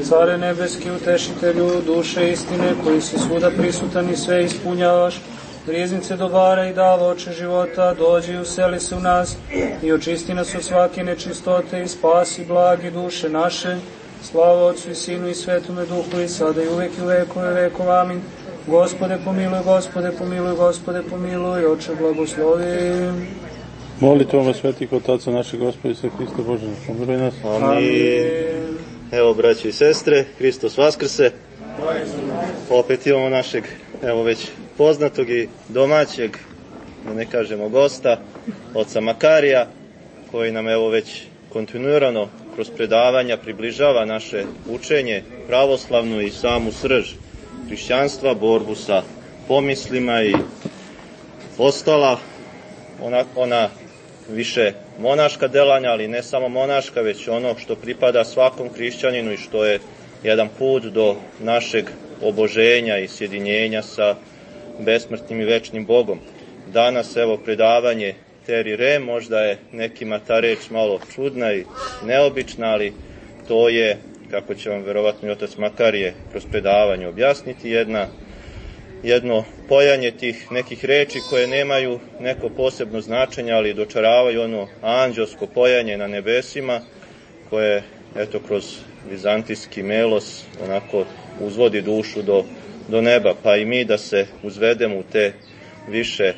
Care nebeski, utešitelju duše istine, koji si svuda prisutan i sve ispunjavaš, riznice dobara i davaoče života, dođi i useli se u nas i očisti nas od svake nečistote i spasi blagi duše naše. Slava Otcu i Sinu i Svetome Duhu i sada i uvek i u vekove vekov. Amin. Gospode pomiluj, Gospode pomiluj, Gospode pomiluj, Oče blagoslovi. Molitvom svetih otaca našeg Gospoda Isusa Hrista Bože, pomiluj nas. Amin. Evo, braći i sestre, Hristos vaskrse. Opet imamo našeg, evo već poznatog i domaćeg, da ne kažemo gosta, oca Makarija, koji nam evo već kontinuirano kroz predavanja približava naše učenje pravoslavnu i samu srž hrišćanstva, borbu sa pomislima i ostala ona više monaška delanja, ali ne samo monaška, već ono što pripada svakom hrišćaninu i što je jedan put do našeg oboženja i sjedinjenja sa besmrtnim i večnim Bogom. Danas evo predavanje Teri Rem, možda je nekima ta reč malo čudna i neobična, ali to je, kako će vam verovatno i otac Makarije kroz predavanje objasniti, jedno pojanje tih nekih reči koje nemaju neko posebno značenje, ali dočaravaju ono anđelsko pojanje na nebesima, koje eto kroz vizantijski melos onako uzvodi dušu do neba, pa i mi da se uzvedemo u te više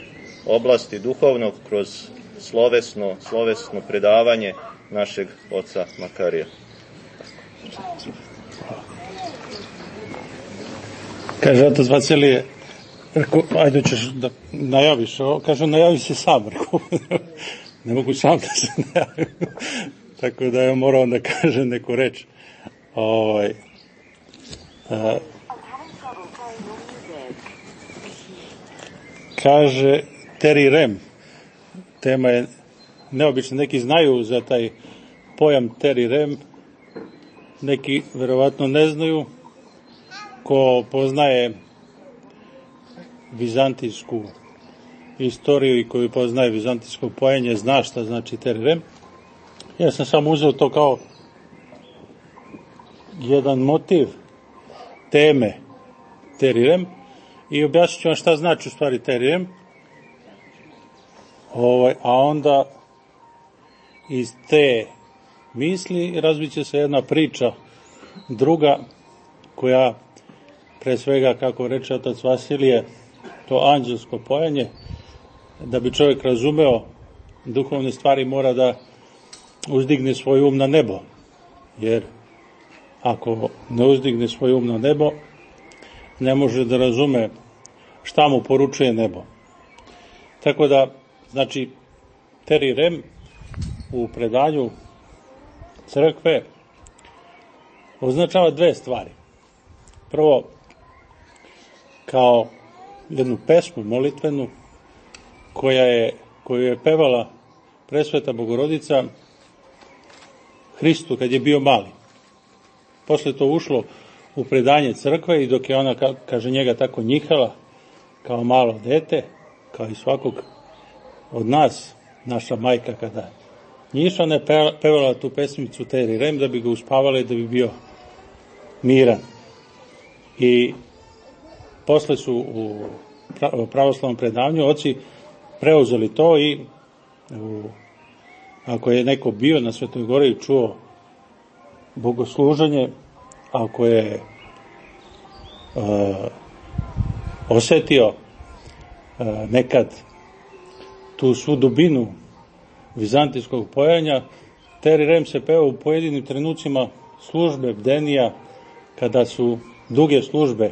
oblasti duhovnog kroz slovesno predavanje našeg oca Makarija. Kaže otac Vasilije, ajde ćeš da najaviš ovo, kaže najavi se sam, ne mogu sam da se najavim, tako da je morao da kaže neku reč. Kaže Teri Rem, tema je neobična, neki znaju za taj pojam Teri Rem, neki verovatno ne znaju. Ko poznaje vizantijsku istoriju i koji poznaje vizantijsko pojanje zna šta znači Teri Rem. Ja sam samo uzeo to kao jedan motiv teme Teri Rem i objasnit ću vam šta znači u stvari Teri Rem. A onda iz te misli razvit će se jedna priča druga koja pre svega, kako reče otac Vasilije, to anđelsko pojanje, da bi čovjek razumeo duhovne stvari mora da uzdigne svoj um na nebo, jer ako ne uzdigne svoj um na nebo, ne može da razume šta mu poručuje nebo. Tako da, znači, Teri Rem u predanju crkve označava dve stvari. Prvo, kao jednu pesmu molitvenu koju je pevala Presveta Bogorodica Hristu kad je bio mali. Posle to ušlo u predanje crkve i dok je ona, kaže, njega tako njihala kao malo dete, kao i svakog od nas, naša majka kada njiša, ona je pevala tu pesmicu Teri Rem da bi ga uspavala i da bi bio miran. I posle su u pravoslavnom predavanju oci preuzeli to i ako je neko bio na Svetoj Gori i čuo bogosluženje, ako je osetio nekad tu svu dubinu vizantijskog pojanja, Teri Rem se peva u pojedinim trenucima službe, bdenija, kada su duge službe.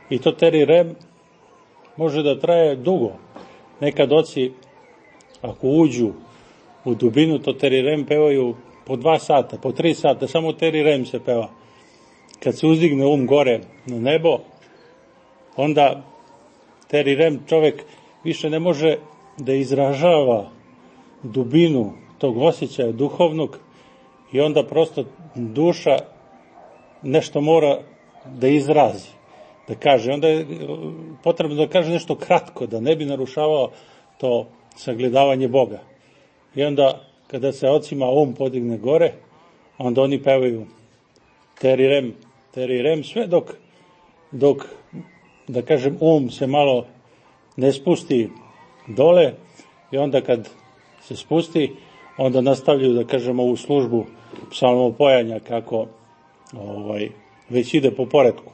I to Teri Rem može da traje dugo. Nekad oci, ako uđu u dubinu, to Teri Rem pevaju po 2 sata, po 3 sata, samo Teri Rem se peva. Kad se uzdigne um gore na nebo, onda Teri Rem čovek više ne može da izražava dubinu tog osjećaja duhovnog i onda prosto duša nešto mora da izrazi, da kaže. Onda je potrebno da kaže nešto kratko, da ne bi narušavao to sagledavanje Boga. I onda kada se ocima podigne gore, onda oni pevaju terirem, sve dok, da kažem, se malo ne spusti dole i onda kad se spusti, onda nastavljaju, da kažem, ovu službu psalmopojanja kako već ide po poretku.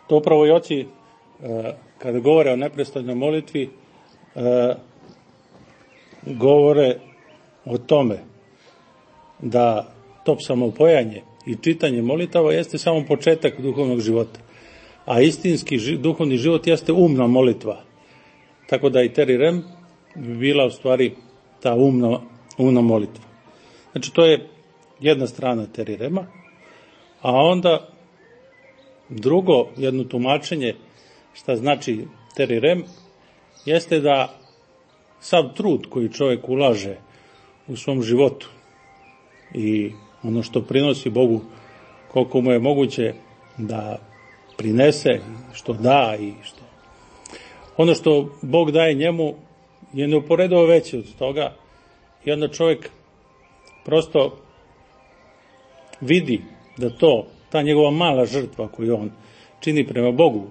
To upravo i oci, kada govore o neprestanoj molitvi, govore o tome da to psalmopojanje i čitanje molitava jeste samo početak duhovnog života, a istinski duhovni život jeste umna molitva. Tako da i terirem bi bila u stvari ta umna molitva. Znači, to je jedna strana terirema, a onda drugo, jedno tumačenje šta znači terirem, jeste da sav trud koji čovjek ulaže u svom životu i ono što prinosi Bogu, koliko mu je moguće da prinese, što da i što ono što Bog daje njemu je neuporedivo veće od toga, i onda čovjek prosto vidi da ta njegova mala žrtva koju on čini prema Bogu,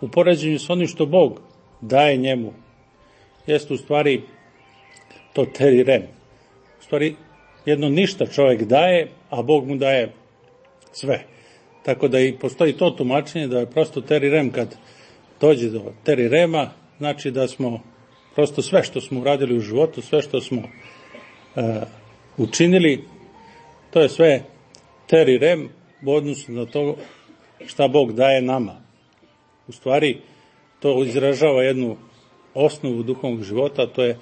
u poređenju s onim što Bog daje njemu, jeste u stvari to terirem. U stvari jedno ništa čovjek daje, a Bog mu daje sve. Tako da i postoji to tumačenje da je prosto terirem, kad dođe do terirema, znači da smo prosto sve što smo uradili u životu, sve što smo učinili, to je sve terirem u odnosu na to šta Bog daje nama. U stvari to izražava jednu osnovu duhovnog života, a to je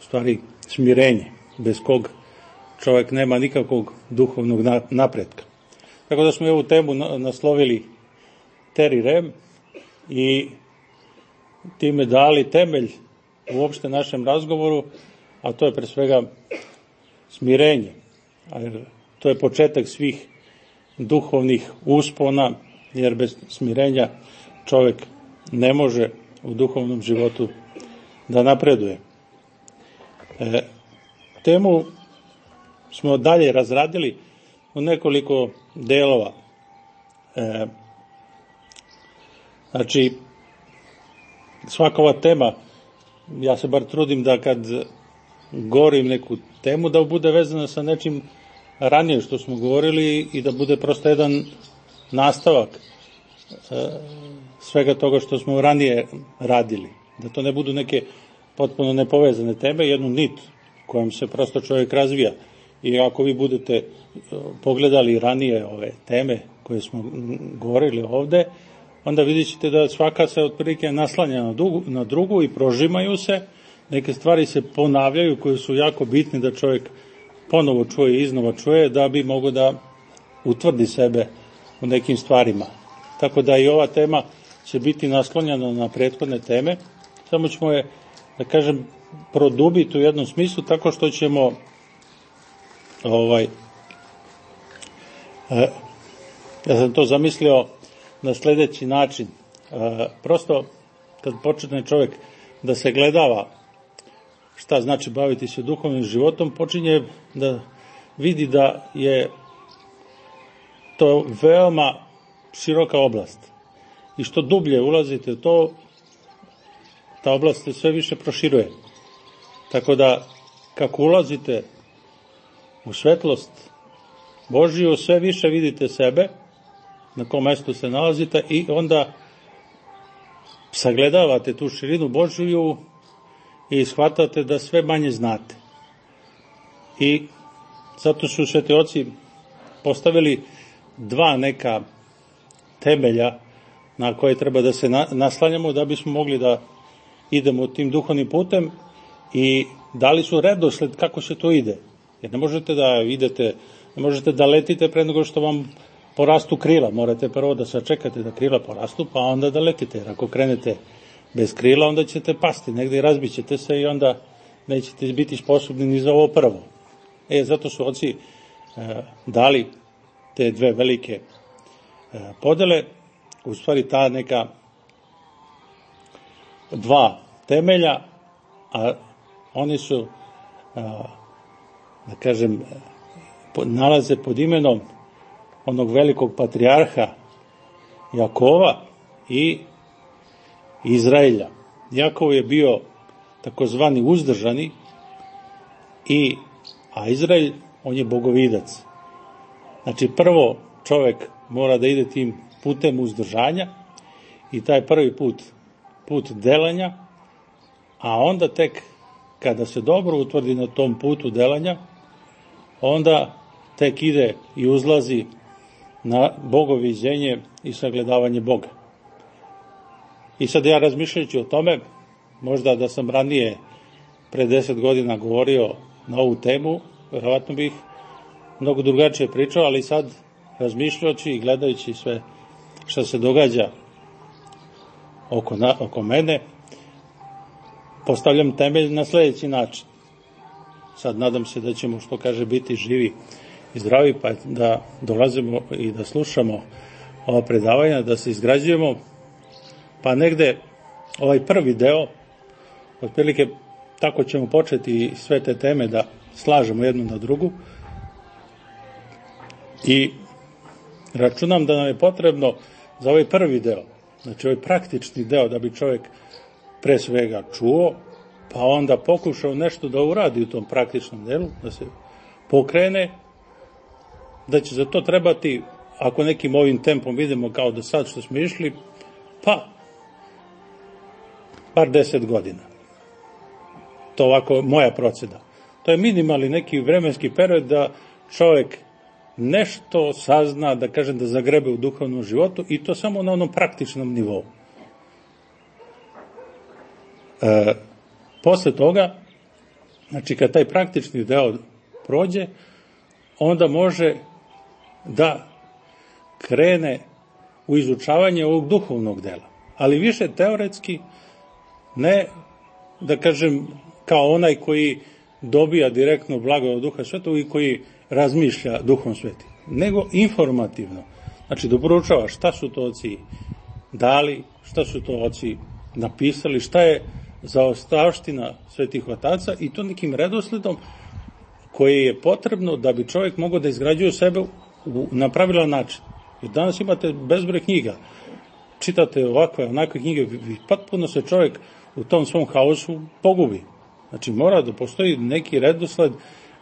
u stvari smirenje, bez kog čovjek nema nikakvog duhovnog napretka. Tako da smo ovu temu naslovili terirem i time dali temelj uopšte našem razgovoru, a to je pre svega smirenje. To je početak svih duhovnih uspona, jer bez smirenja čovjek ne može u duhovnom životu da napreduje. Temu smo dalje razradili u nekoliko delova. Znači, svaka ova tema, ja se bar trudim da kad govorim neku temu, da bude vezana sa nečim ranije što smo govorili i da bude prosto jedan nastavak svega toga što smo ranije radili. Da to ne budu neke potpuno nepovezane teme, jednu nit kojom se prosto čovjek razvija. I ako vi budete pogledali ranije ove teme koje smo govorili ovde, onda vidjet ćete da svaka se otprilike naslanja na drugu i prožimaju se, neke stvari se ponavljaju koje su jako bitne da čovjek ponovo čuje i iznova čuje da bi mogao da utvrdi sebe u nekim stvarima. Tako da i ova tema će biti naslonjena na prethodne teme, samo ćemo je, da kažem, produbiti u jednom smislu tako što ćemo ja sam to zamislio na sljedeći način. Prosto kad počne čovjek da se gledava šta znači baviti se duhovnim životom, počinje da vidi da je to veoma široka oblast. I što dublje ulazite u to, ta oblast se sve više proširuje. Tako da, kako ulazite u svetlost Božiju, sve više vidite sebe, na kom mestu se nalazite, i onda sagledavate tu širinu Božiju i shvatate da sve manje znate. I zato su sveti oci postavili dva neka temelja na koje treba da se naslanjamo da bismo mogli da idemo tim duhovnim putem, i dali su redosled kako se to ide. Jer ne možete da idete, ne možete da letite pre nego što vam porastu krila. Morate prvo da sačekate da krila porastu, pa onda da letite. Jer ako krenete bez krila, onda ćete pasti negde i razbit ćete se i onda nećete biti sposobni ni za ovo prvo. Zato su oci dali te dve velike podele, u stvari ta neka dva temelja, a oni su, da kažem, nalaze pod imenom onog velikog patrijarha Jakova i Izraelja. Jakov je bio takozvani uzdržani, a Izrael, on je bogovidac. Znači, prvo čovjek mora da ide tim putem uzdržanja i taj prvi put delanja, a onda tek kada se dobro utvrdi na tom putu delanja, onda tek ide i uzlazi na bogoviđenje i sagledavanje Boga. I sad ja razmišljajući o tome, možda da sam ranije pre 10 godina govorio na ovu temu, verovatno bih mnogo drugačije pričao, ali sad razmišljajući i gledajući sve što se događa oko mene, postavljam temelj na sljedeći način. Sad nadam se da ćemo, što kaže, biti živi i zdravi, pa da dolazimo i da slušamo ova predavanja, da se izgrađujemo, pa negde ovaj prvi deo, otprilike tako ćemo početi sve te teme da slažemo jednu na drugu i računam da nam je potrebno za ovaj prvi deo, znači ovaj praktični deo, da bi čovjek pre svega čuo, pa onda pokušao nešto da uradi u tom praktičnom delu, da se pokrene, da će za to trebati, ako nekim ovim tempom idemo kao do sad što smo išli, pa bar 10 godina. To ovako moja procena. To je minimalni neki vremenski period da čovjek nešto sazna, da kažem, da zagrebe u duhovnom životu, i to samo na onom praktičnom nivou. Posle toga, znači kad taj praktični deo prođe, onda može da krene u izučavanje ovog duhovnog dela. Ali više teoretski, ne, da kažem, kao onaj koji dobija direktno blagodat Duha Svetog i koji razmišlja Duhom Svetim, nego informativno. Znači, da proučava šta su to oci dali, šta su to oci napisali, šta je zaostavština svetih otaca, i to nekim redosledom koji je potrebno da bi čovjek mogao da izgrađuje sebe na pravilan način. Jer danas imate bezbroj knjiga, čitate ovakve, onakve knjige, potpuno se čovjek u tom svom haosu pogubi. Znači, mora da postoji neki redosled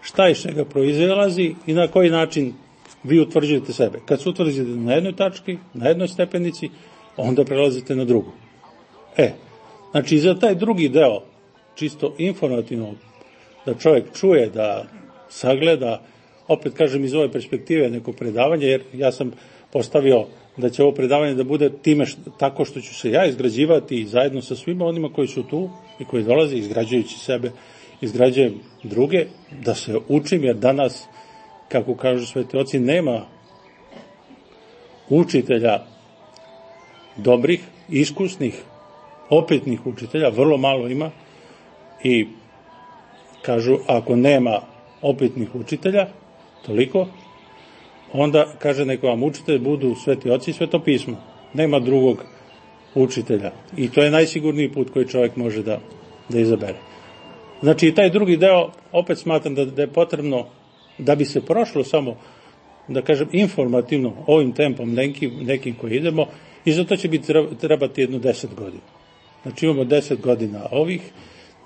šta iz čega proizilazi i na koji način vi utvrđujete sebe. Kad se utvrdite na jednoj tački, na jednoj stepenici, onda prelazite na drugu. Znači, za taj drugi deo, čisto informativno, da čovjek čuje, da sagleda, opet kažem iz ove perspektive neko predavanje, jer ja sam postavio da će ovo predavanje da bude tako što ću se ja izgrađivati zajedno sa svima onima koji su tu i koji dolaze, izgrađujući sebe, izgrađujem druge, da se učim, jer danas, kako kažu sveti oci, nema učitelja dobrih, iskusnih, opetnih učitelja, vrlo malo ima, i kažu, ako nema opetnih učitelja, toliko, onda, kaže, neko vam učitelj budu sveti oci i sveto pismo. Nema drugog učitelja. I to je najsigurniji put koji čovjek može da izabere. Znači, i taj drugi deo, opet smatram da je potrebno, da bi se prošlo samo, da kažem, informativno, ovim tempom nekim koji idemo, i za to će trebati jedno 10 godina. Znači, imamo 10 godina ovih,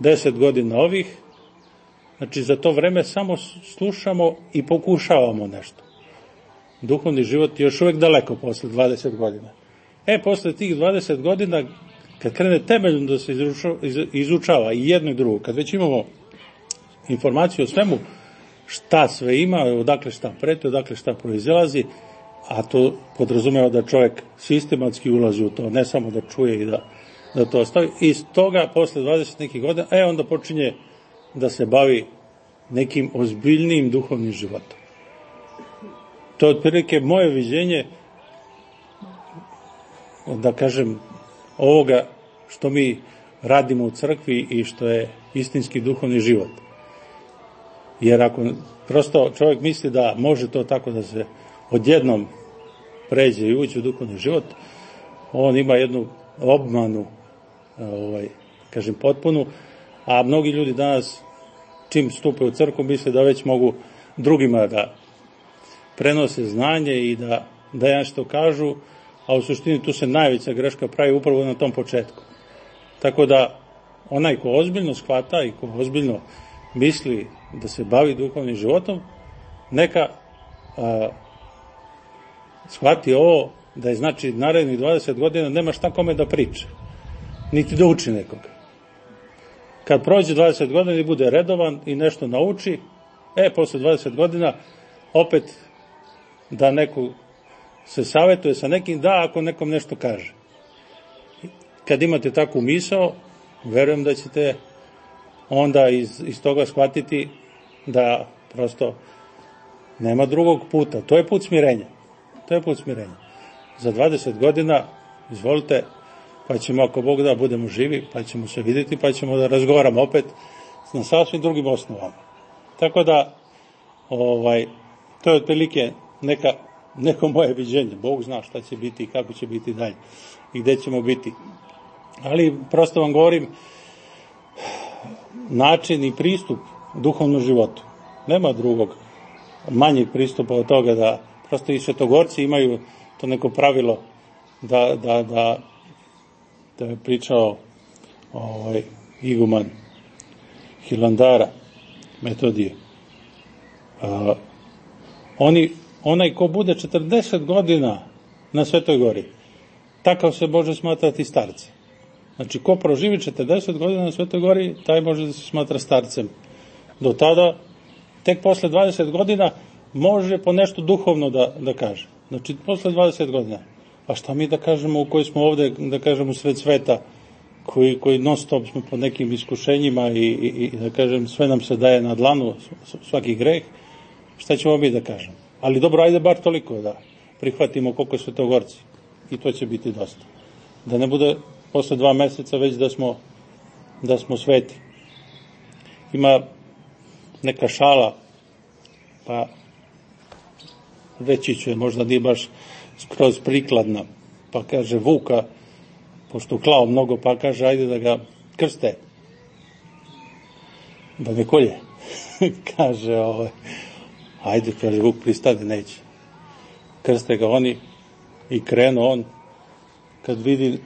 10 godina ovih, znači, za to vreme samo slušamo i pokušavamo nešto. Duhovni život je još uvijek daleko posle 20 godina. Posle tih 20 godina, kad krene temeljno da se izučava i jedno i drugo, kad već imamo informaciju o svemu, šta sve ima, odakle šta preti, odakle šta proizilazi, a to podrazumeva da čovjek sistematski ulazi u to, ne samo da čuje i da to ostavi. I iz toga, posle 20 nekih godina, onda počinje da se bavi nekim ozbiljnijim duhovnim životom. To je otprilike moje viđenje, da kažem, ovoga što mi radimo u crkvi i što je istinski duhovni život. Jer ako prosto čovjek misli da može to tako da se odjednom pređe i ući u duhovni život, on ima jednu obmanu, kažem, potpunu, a mnogi ljudi danas, čim stupe u crkvu, misle da već mogu drugima prenose znanje i da nešto kažu, a u suštini tu se najveća greška pravi upravo na tom početku. Tako da onaj ko ozbiljno shvata i ko ozbiljno misli da se bavi duhovnim životom, neka shvati ovo, da je znači narednih 20 godina nema šta kome da priča, niti da uči nekoga. Kad prođe 20 godina i bude redovan i nešto nauči, posle 20 godina opet da neko se savjetuje sa nekim, da ako nekom nešto kaže. Kad imate takvu misao, verujem da ćete onda iz toga shvatiti da prosto nema drugog puta. To je put smirenja. Za 20 godina, izvolite, pa ćemo, ako Bog da, budemo živi, pa ćemo se vidjeti, pa ćemo da razgovaramo opet na sasvim drugim osnovama. Tako da, to je otprilike neko moje viđenje. Bog zna šta će biti i kako će biti dalje i gde ćemo biti. Ali prosto vam govorim, način i pristup duhovnom životu. Nema drugog manjeg pristupa od toga da prosto i svetogorci imaju to neko pravilo da je pričao iguman Hilandara, Metodije. Onaj ko bude 40 godina na Svetoj gori, takav se može smatrati starcem. Znači, ko proživi 40 godina na Svetoj gori, taj može da se smatra starcem. Do tada, tek posle 20 godina, može po nešto duhovno da kaže. Znači, posle 20 godina. A šta mi da kažemo u koji smo ovde, da kažemo, sred sveta, koji non stop smo po nekim iskušenjima i da kažem, sve nam se daje na dlanu, svaki greh, šta ćemo mi da kažemo? Ali dobro, ajde bar toliko da prihvatimo koliko svetogorci. I to će biti dosta. Da ne bude posle 2 meseca već da smo sveti. Ima neka šala, pa reći ću je, možda nije baš skroz prikladna, pa kaže Vuka, pošto klao mnogo, pa kaže ajde da ga krste, da me kolje. Kaže, ajde, kaže Vuk, pristade, neće. Krste ga oni i krenu on, kad vidi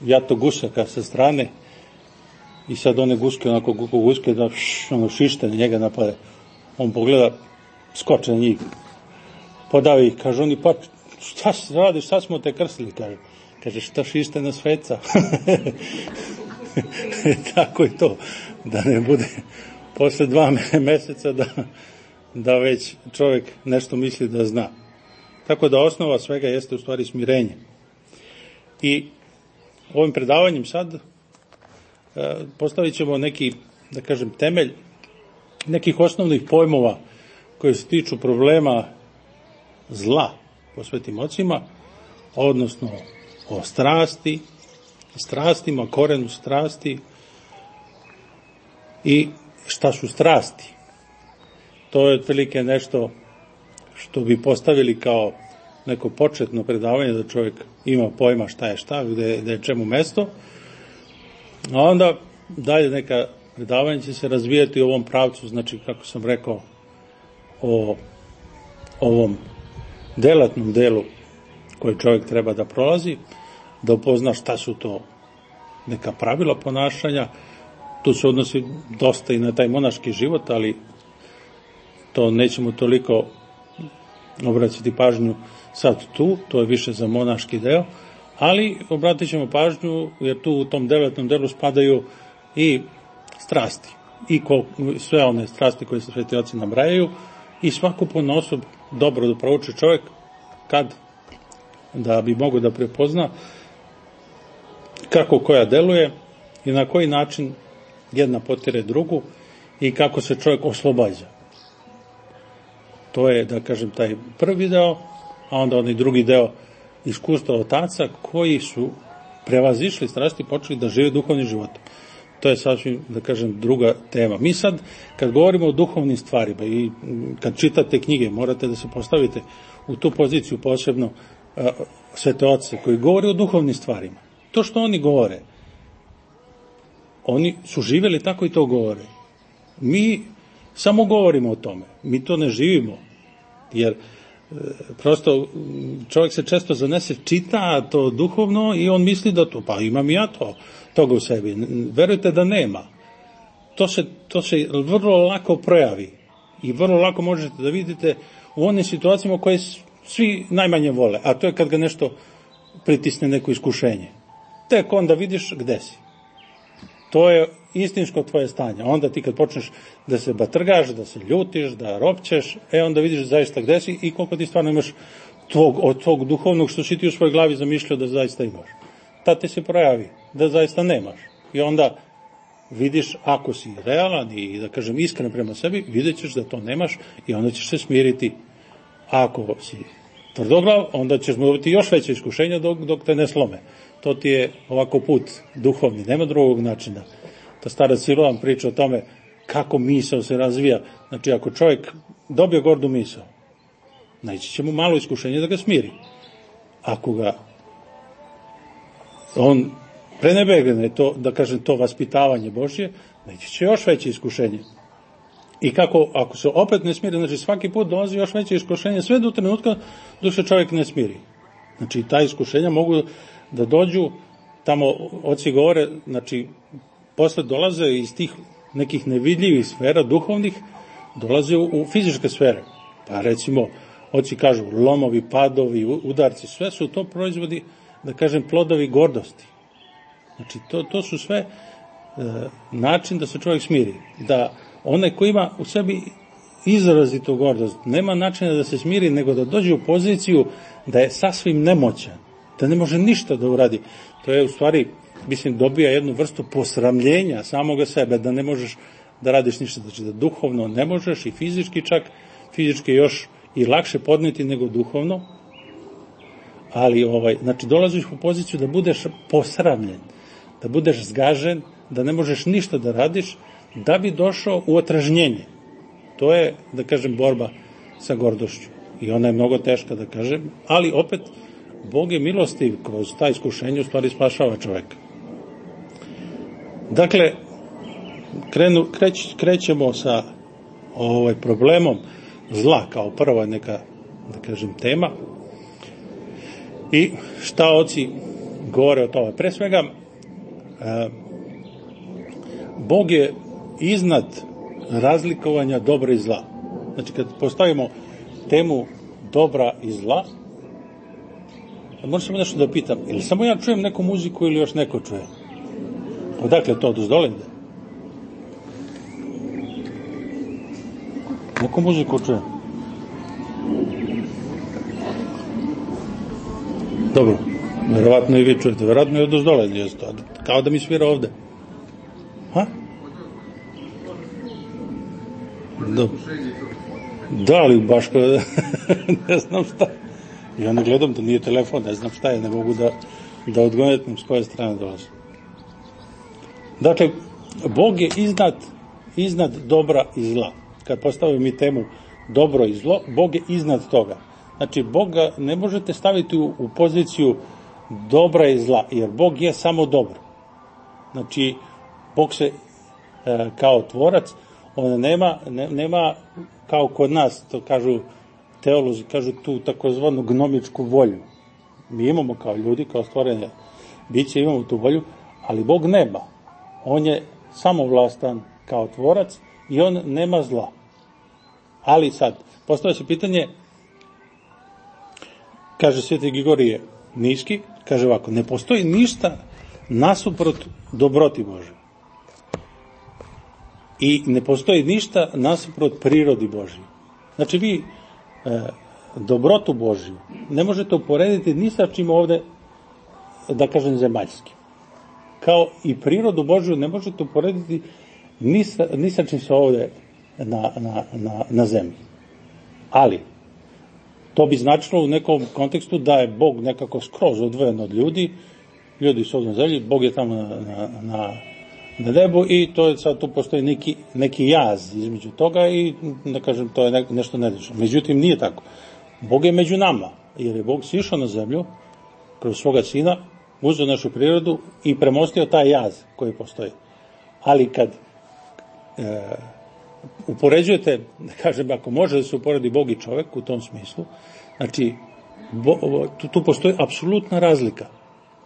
jato gušaka sa strane i sad one guske, onako guske da šište na njega napade. On pogleda, skoče na njih, podavi ih, kaže oni, pa šta radiš, šta smo te krstili, kaže šta šište na sveca. Tako je to, da ne bude posle 2 meseca da već čovjek nešto misli da zna. Tako da osnova svega jeste u stvari smirenje. I ovim predavanjem sad postavit ćemo neki, da kažem, temelj nekih osnovnih pojmova koji se tiču problema zla po svetim ocima, odnosno o strastima, korenu strasti i šta su strasti. To je otprilike nešto što bi postavili kao neko početno predavanje, da čovjek ima pojma šta je šta, gde je čemu mesto, a onda dalje neka predavanja će se razvijati u ovom pravcu, znači, kako sam rekao, o ovom delatnom delu koji čovjek treba da prolazi, da upozna šta su to neka pravila ponašanja. Tu se odnosi dosta i na taj monaški život, ali to nećemo toliko obraćati pažnju sad tu, to je više za monaški deo, ali obratit ćemo pažnju, jer tu u tom devetnom delu spadaju i strasti, i sve one strasti koje se sveti oci nabrajaju, i svaku ponosob dobro da prouči čovjek, da bi mogao da prepozna kako koja deluje i na koji način jedna potire drugu i kako se čovjek oslobađa. To je, da kažem, taj prvi deo, a onda onaj drugi deo iskustva otaca koji su prevazišli strasti i počeli da žive duhovnim životom. To je sasvim, da kažem, druga tema. Mi sad, kad govorimo o duhovnim stvarima i kad čitate knjige, morate da se postavite u tu poziciju posebno svete oce koji govore o duhovnim stvarima. To što oni govore, oni su živjeli tako i to govore. Mi samo govorimo o tome, mi to ne živimo, jer prosto čovjek se često zanese, čita to duhovno i on misli da to, pa imam ja toga u sebi. Verujte da nema. To se vrlo lako projavi i vrlo lako možete da vidite u onim situacijama koje svi najmanje vole, a to je kad ga nešto pritisne, neko iskušenje. Tek onda vidiš gde si. To je istinsko tvoje stanje. Onda ti kad počneš da se batrgaš, da se ljutiš, da ropćeš, onda vidiš zaista gde si i koliko ti stvarno imaš od tog duhovnog što si ti u svojoj glavi zamišljao da zaista imaš. Tad ti se projavi da zaista nemaš. I onda vidiš, ako si realan i da kažem iskren prema sebi, vidjet ćeš da to nemaš i onda ćeš se smiriti. Ako si tvrdoglav, onda ćeš mu dobiti još veće iskušenja dok te ne slome. To ti je ovako put duhovni, nema drugog načina. Ta stara Siloam priča o tome kako misao se razvija. Znači, ako čovjek dobije gordu misao, naići će mu malo iskušenje da ga smiri. Ako ga on prenebegne to, da kažem, to vaspitavanje Božje, naići će još veće iskušenje. I kako, ako se opet ne smiri, znači svaki put dolazi još veće iskušenje, sve do trenutka dok se čovjek ne smiri. Znači, ta iskušenja mogu da dođu, tamo oci govore, znači, posle dolaze iz tih nekih nevidljivih sfera, duhovnih, dolaze u fizičke sfere. Pa recimo, oci kažu, lomovi, padovi, udarci, sve su to proizvodi, da kažem, plodovi gordosti. Znači, to su sve način da se čovjek smiri. Da onaj ko ima u sebi izrazitu gordost, nema načina da se smiri, nego da dođe u poziciju da je sasvim nemoćan, da ne može ništa da uradi. To je u stvari, mislim, dobija jednu vrstu posramljenja samoga sebe, da ne možeš da radiš ništa. Znači, da duhovno ne možeš i fizički čak, fizički još i lakše podneti nego duhovno, ali znači, dolaziš u poziciju da budeš posramljen, da budeš zgažen, da ne možeš ništa da radiš, da bi došao u otrežnjenje. To je, da kažem, borba sa gordošću. I ona je mnogo teška, da kažem, ali opet Bog je milostiv, kroz ta iskušenja u stvari spašava čoveka. Dakle, krećemo sa problemom zla kao prva neka, da kažem, tema. I šta oci govore o tome? Pre svega, Bog je iznad razlikovanja dobra i zla. Znači, kad postavimo temu dobra i zla, možda samo nešto da pitam, ili samo ja čujem neku muziku ili još neko čuje? Odakle to, dozdole? Neku muziku čujem. Dobro, verovatno i vi čujete, verovatno i od dozdole, kao da mi svira ovde. Ha? Da, ali baš ne znam šta. Ja ne gledam, to nije telefon, ne znam šta je, ne mogu da odgonetim s koje strane dolazi. Dakle, Bog je iznad dobra i zla. Kad postavimo mi temu dobro i zlo, Bog je iznad toga. Znači, Boga ne možete staviti u poziciju dobra i zla, jer Bog je samo dobro. Znači, Bog se kao tvorac, on nema kao kod nas, to kažu teolozi, kažu tu takozvanu gnomičku volju. Mi imamo kao ljudi, kao stvorenje biće, imamo tu volju, ali Bog nema. On je samovlastan kao tvorac i on nema zla. Ali sad, postavlja se pitanje, kaže Sveti Grigorije Niški, kaže ovako, ne postoji ništa nasuprot dobroti Bože. I ne postoji ništa nasuprot prirodi Božji. Znači, vi dobrotu Božju ne možete uporediti ni sa čim ovde, da kažem, zemaljski. Kao i prirodu Božju ne možete uporediti ni sa čim se ovde na zemlji. Ali, to bi značilo u nekom kontekstu da je Bog nekako skroz odvojen od ljudi su ovdje na zemlji, Bog je tamo na nebu i to je sad, tu postoji neki jaz između toga i, da kažem, to je nešto nedečno. Međutim, nije tako. Bog je među nama, jer je Bog sišao na zemlju kroz svoga sina, uzeo našu prirodu i premostio taj jaz koji postoji. Ali kad upoređujete, da kažem, ako može da se uporedi Bog i čovek u tom smislu, Znači, tu postoji apsolutna razlika.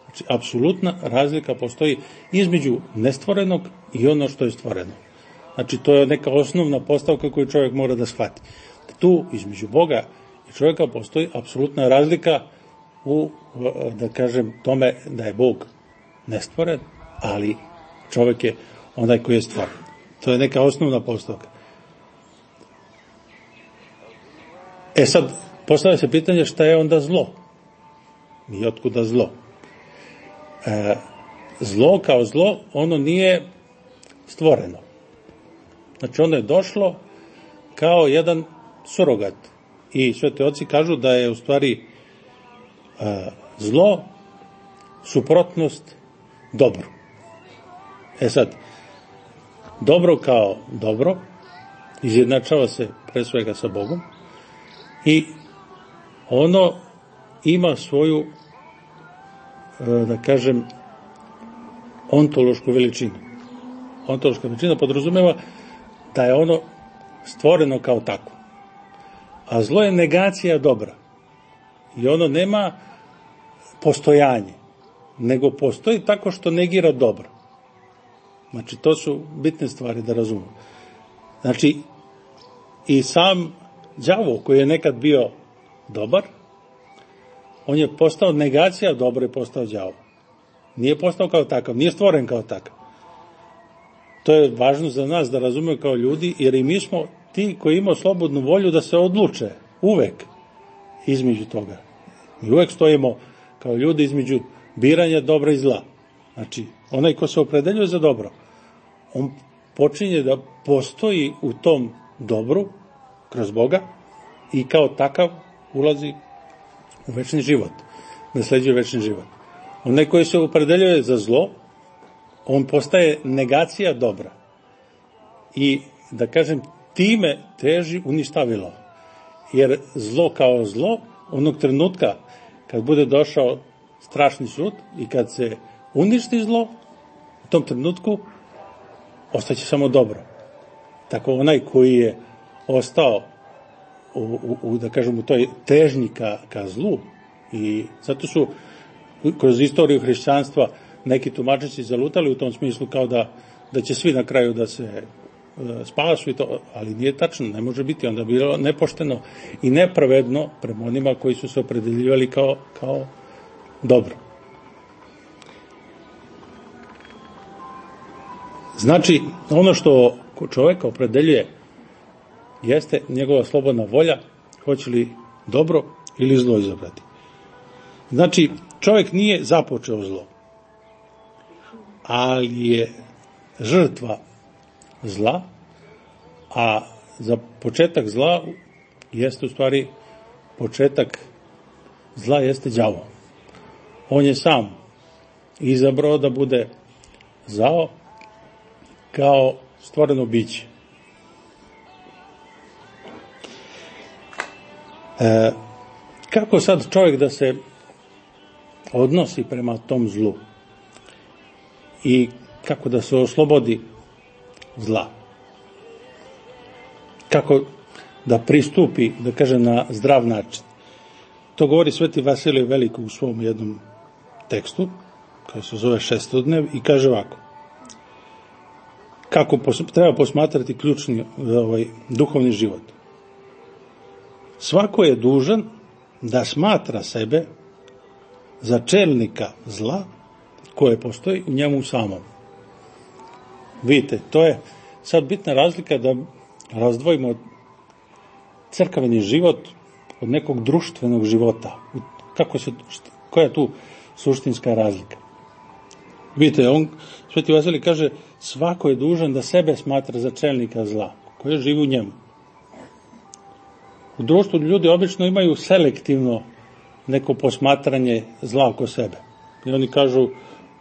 Znači, apsolutna razlika postoji između nestvorenog i ono što je stvoreno. Znači, to je neka osnovna postavka koju čovjek mora da shvati. Tu, između Boga i čovjeka, postoji apsolutna razlika u, da kažem, tome da je Bog nestvoren, ali čovjek je onaj koji je stvoren. To je neka osnovna postavka. Sad, postavlja se pitanje šta je onda zlo? I otkuda zlo? Zlo kao zlo, ono nije stvoreno. Znači, ono je došlo kao jedan surogat. I sveti oci kažu da je u stvari zlo suprotnost dobru. Sad, dobro kao dobro izjednačava se pre svega sa Bogom i ono ima svoju, da kažem, ontološku veličinu. Ontološka veličina podrazumeva da je ono stvoreno kao tako. A zlo je negacija dobra. I ono nema postojanje, nego postoji tako što negira dobro. Znači, to su bitne stvari da razumemo. Znači, i sam đavo koji je nekad bio dobar, on je postao negacija dobro i postao đavo. Nije postao kao takav, nije stvoren kao takav. To je važno za nas da razumemo kao ljudi, jer i mi smo ti koji imamo slobodnu volju da se odluče uvek između toga. Mi uvek stojimo kao ljudi između biranja dobra i zla. Znači, onaj ko se opredeljuje za dobro, on počinje da postoji u tom dobru kroz Boga i kao takav ulazi u večni život, nasleđuje večni život. Onaj koji se opredeljuje za zlo, on postaje negacija dobra. I, da kažem, time teži uništavilo. Jer zlo kao zlo, onog trenutka kad bude došao strašni sud i kad se uništi zlo, u tom trenutku ostaće samo dobro. Tako onaj koji je ostao da kažem, u toj težnji ka zlu, i zato su kroz istoriju hrišćanstva neki tumačići zalutali u tom smislu kao da će svi na kraju da se spasu i to, ali nije tačno, ne može biti, onda bi bilo nepošteno i nepravedno prema onima koji su se opredeljivali kao dobro. Znači, ono što čovjeka opredeljuje jeste njegova slobodna volja, hoće li dobro ili zlo izabrati. Znači, čovjek nije započeo zlo, ali je žrtva zla, a za početak zla jeste u stvari početak zla jeste đavo. On je sam izabrao da bude zao kao stvoreno biće. Kako sad čovjek da se odnosi prema tom zlu i kako da se oslobodi zla? Kako da pristupi, da kažem, na zdrav način? To govori sveti Vasilije Veliko u svom jednom tekstu, koji se zove Šestodnev, i kaže ovako: kako treba posmatrati ključni duhovni život. Svako je dužan da smatra sebe za čelnika zla koje postoji u njemu samom. Vidite, to je sad bitna razlika da razdvojimo crkveni život od nekog društvenog života. Koja je tu suštinska razlika? Vidite, sveti Vasilij kaže, svako je dužan da sebe smatra za čelnika zla koje živi u njemu. U društvu ljudi obično imaju selektivno neko posmatranje zla oko sebe. I oni kažu,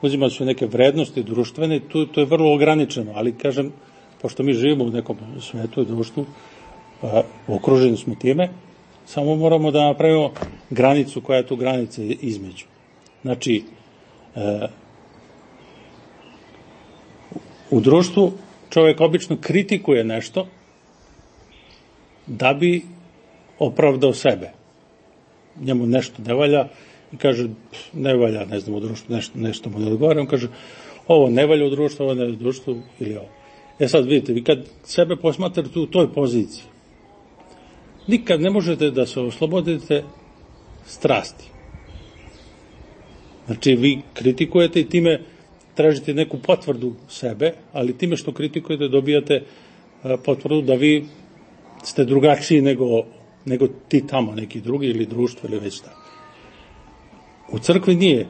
uzimaju su neke vrednosti društvene, to je vrlo ograničeno, ali kažem, pošto mi živimo u nekom svetu i društvu, okruženi smo time, samo moramo da napravimo granicu koja je tu granica između. Znači, u društvu čovjek obično kritikuje nešto da bi opravdao sebe. njemu nešto ne valja i kaže, ne valja, ne znam, u društvu nešto mu ne odgovara, on kaže, ovo ne valja u društvu, ovo ne valja u društvu ili ovo. Sad vidite, vi kad sebe posmatrate u toj poziciji, nikad ne možete da se oslobodite strasti. Znači, vi kritikujete i time tražite neku potvrdu sebe, ali time što kritikujete dobijate potvrdu da vi ste drugačiji nego ti tamo, neki drugi ili društvo ili već tako. U crkvi nije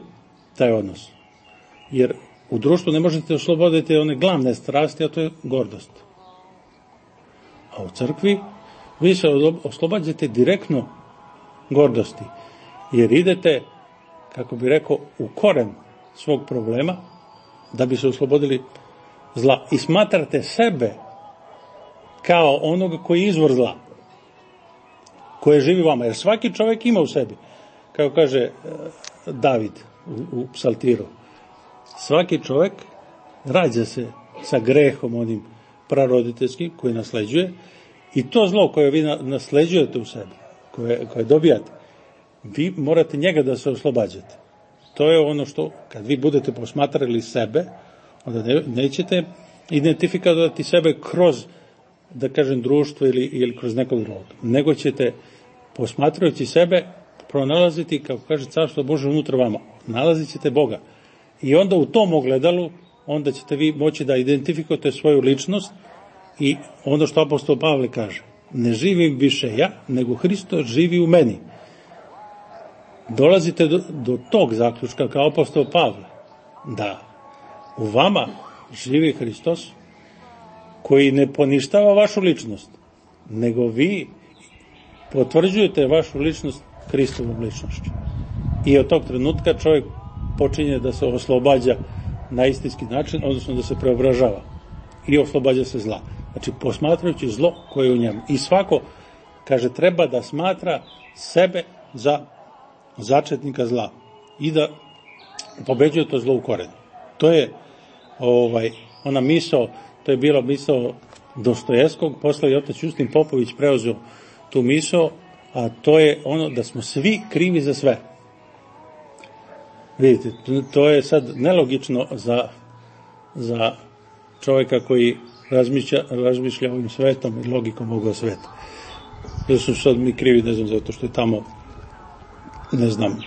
taj odnos, jer u društvu ne možete osloboditi one glavne strasti, a to je gordost. A u crkvi vi se oslobađate direktno gordosti, jer idete, kako bi rekao, u koren svog problema, da bi se oslobodili zla. I smatrate sebe kao onoga koji je izvor zla, koje živi vama. Jer svaki čovjek ima u sebi, kako kaže David u psaltiru, svaki čovjek rađa se sa grehom onim praroditeljskim koji nasleđuje i to zlo koje vi nasleđujete u sebi, koje dobijate, vi morate njega da se oslobađate. To je ono što, kad vi budete posmatrali sebe, onda nećete identifikovati sebe kroz, da kažem, društvo ili kroz nekog drugog, nego ćete, posmatrajući sebe, pronalaziti, kako kaže Carstvo Božje unutra vama, nalazit ćete Boga. I onda u tom ogledalu, onda ćete vi moći da identifikujete svoju ličnost i ono što apostol Pavle kaže, ne živim više ja, nego Hristos živi u meni. Dolazite do tog zaključka kao apostol Pavle, da u vama živi Hristos koji ne poništava vašu ličnost, nego vi potvrđujete vašu ličnost Hristovom ličnošću. I od tog trenutka čovjek počinje da se oslobađa na istinski način, odnosno da se preobražava i oslobađa se zla. Znači, posmatrajući zlo koje je u njemu. I svako, kaže, treba da smatra sebe za začetnika zla i da pobeđuje to zlo u korenu. To je ona misao, to je bila misao Dostojevskog, posle i otac Justin Popović preuzeo tu misao, a to je ono da smo svi krivi za sve. Vidite, to je sad nelogično za čovjeka koji razmišlja ovim svetom i logikom ovoga sveta. Jer su sad mi krivi, ne znam, zato što je tamo, ne znam,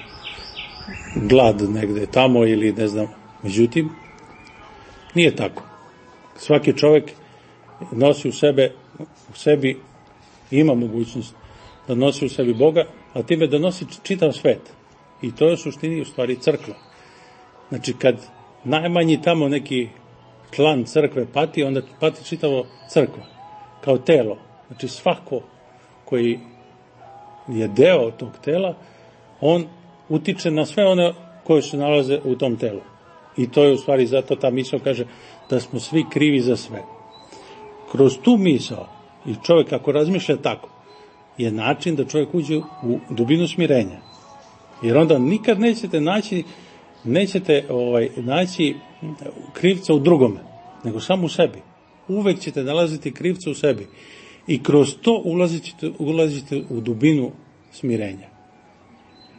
glad negde tamo ili ne znam. Međutim, nije tako. Svaki čovjek nosi u sebi ima mogućnost da nosi u sebi Boga, a time da nosi čitav svet. I to je u suštini u stvari crkva. Znači, kad najmanji tamo neki član crkve pati, onda pati čitavo crkva, kao telo. Znači, svako koji je deo tog tela, on utiče na sve one koje se nalaze u tom telu. I to je u stvari, zato ta misao kaže da smo svi krivi za sve. Kroz tu misao, i čovjek ako razmišlja tako, je način da čovjek uđe u dubinu smirenja. Jer onda nikad nećete naći krivca u drugome, nego samo u sebi. Uvek ćete nalaziti krivca u sebi. I kroz to ulazite u dubinu smirenja.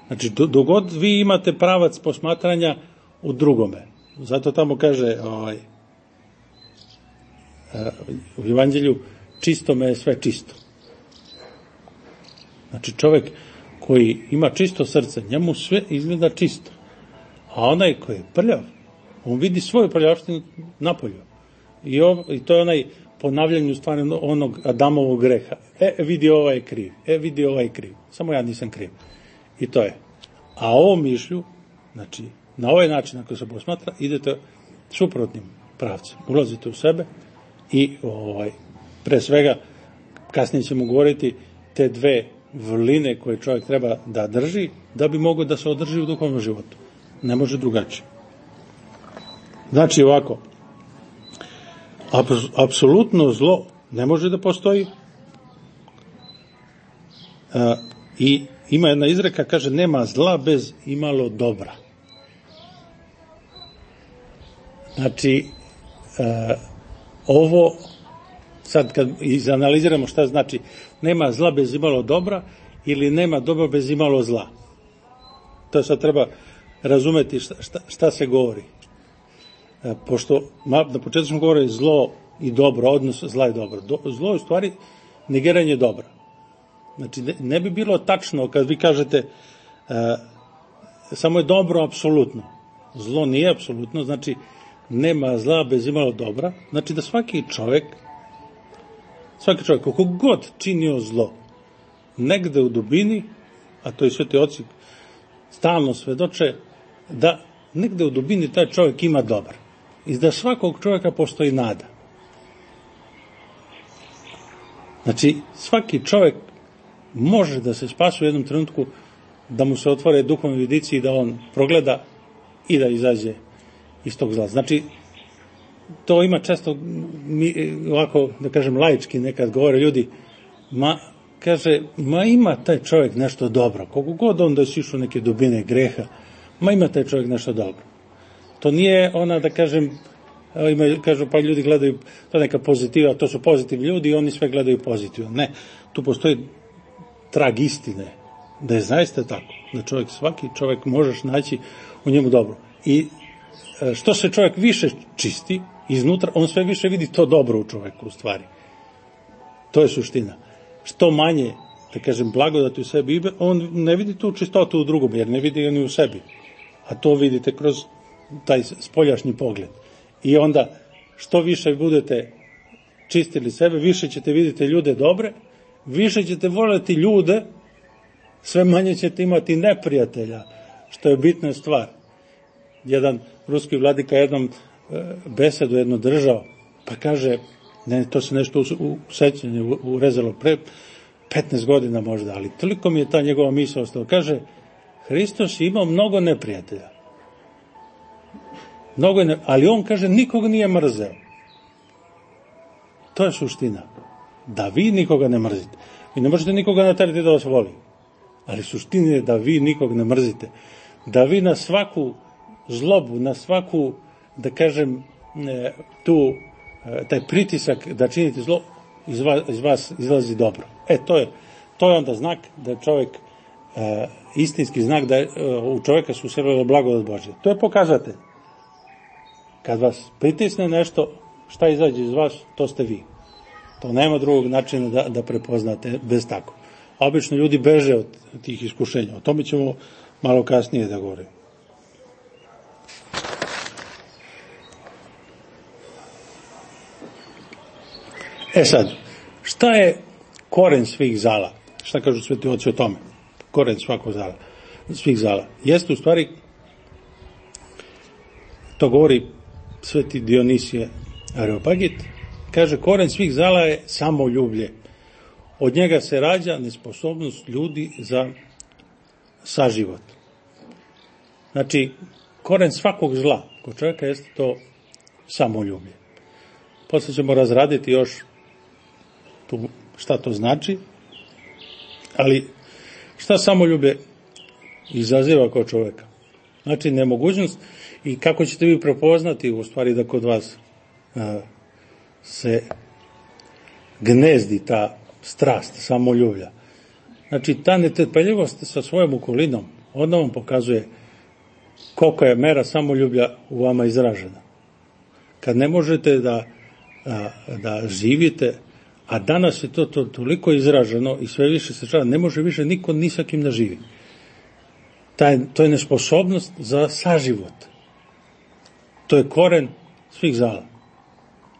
Znači, dogod vi imate pravac posmatranja u drugome. Zato tamo kaže u Evanđelju, čisto me je sve čisto. Znači, čovjek koji ima čisto srce, njemu sve izgleda čisto. A onaj koji je prljav, on vidi svoju prljavštinu napolju. I to je onaj ponavljanje u stvari onog Adamovog greha. Vidi ovaj kriv, vidi ovaj kriv. Samo ja nisam kriv. I to je. A ovom mišlju, znači, na ovaj način ako se posmatra, idete suprotnim pravcem. Ulazite u sebe i pre svega, kasnije ćemo govoriti te dve vrline koje čovjek treba da drži, da bi mogao da se održi u duhovnom životu. Ne može drugačije. Znači ovako, apsolutno zlo ne može da postoji i ima jedna izreka, kaže, nema zla bez imalo dobra. Znači, ovo, sad kad izanaliziramo šta znači nema zla bez imalo dobra, ili nema dobro bez imalo zla. To sad treba razumeti šta se govori. Pošto na početku smo govorili zlo i dobro, odnos zla i dobro. Zlo je u stvari negiranje dobra. Znači, ne bi bilo tačno kad vi kažete samo je dobro apsolutno. Zlo nije apsolutno, znači nema zla bez imalo dobra. Znači da svaki čovjek, koliko god činio zlo, negde u dubini, a to i sveti oci stalno svedoče, da negde u dubini taj čovjek ima dobar. I da svakog čovjeka postoji nada. Znači, svaki čovjek može da se spasi u jednom trenutku, da mu se otvore duhovni vidici i da on progleda i da izađe iz tog zla. Znači, to ima često, ovako, da kažem, laički nekad govore ljudi, ima taj čovjek nešto dobro, koliko god on da je sišao neke dubine greha, ima taj čovjek nešto dobro. To nije ona, da kažem, kažu pa ljudi gledaju, to neka pozitiva, to su pozitivni ljudi i oni sve gledaju pozitivno. Ne, tu postoji trag istine, da je zaista tako, da svaki čovjek možeš naći u njemu dobro. I što se čovjek više čisti iznutra, on sve više vidi to dobro u čovjeku u stvari. To je suština. Što manje, da kažem, blagodati u sebi, on ne vidi tu čistotu u drugom, jer ne vidi ga ni u sebi. A to vidite kroz taj spoljašnji pogled. I onda, što više budete čistili sebe, više ćete vidjeti ljude dobre, više ćete voljeti ljude, sve manje ćete imati neprijatelja, što je bitna stvar. Jedan ruski vladika jednom besedu jedno držao, pa kaže, ne, to se nešto u sećanju urezalo pre 15 godina možda, ali toliko mi je ta njegova misao ostala. Kaže, Hristos je imao mnogo neprijatelja. Ali on, kaže, nikog nije mrzeo. To je suština. Da vi nikoga ne mrzite. Vi ne možete nikoga naterati da vas voli. Ali suština je da vi nikog ne mrzite. Da vi na svaku zlobu, na svaku, da kažem, taj pritisak da činite zlo, iz vas izlazi dobro. To je onda znak da je čovjek, istinski znak da je, u čovjeka su uselila blagodat Božja. To je pokazatelj. Kad vas pritisne nešto, šta izađe iz vas, to ste vi. To nema drugog načina da prepoznate bez tako. Obično ljudi beže od tih iskušenja. O tome ćemo malo kasnije da govorimo. Sad, šta je koren svih zala? Šta kažu sveti oci o tome? Koren svih zala. Jeste u stvari, to govori sveti Dionisije Areopagit, kaže, koren svih zala je samoljublje. Od njega se rađa nesposobnost ljudi za saživot. Znači, koren svakog zla kod čovjeka jeste to samoljublje. Posle ćemo razraditi još šta to znači, ali šta samoljublje izaziva kod čovjeka? Znači, nemogućnost i kako ćete vi prepoznati u stvari da kod vas se gnezdi ta strast, samoljublja. Znači, ta netrpeljivost sa svojom okolinom, ona vam pokazuje koliko je mera samoljublja u vama izražena. Kad ne možete da živite, a danas je to toliko izraženo i sve više se čava, ne može više niko ni sa kim da živi. To je nesposobnost za saživot. To je koren svih zala.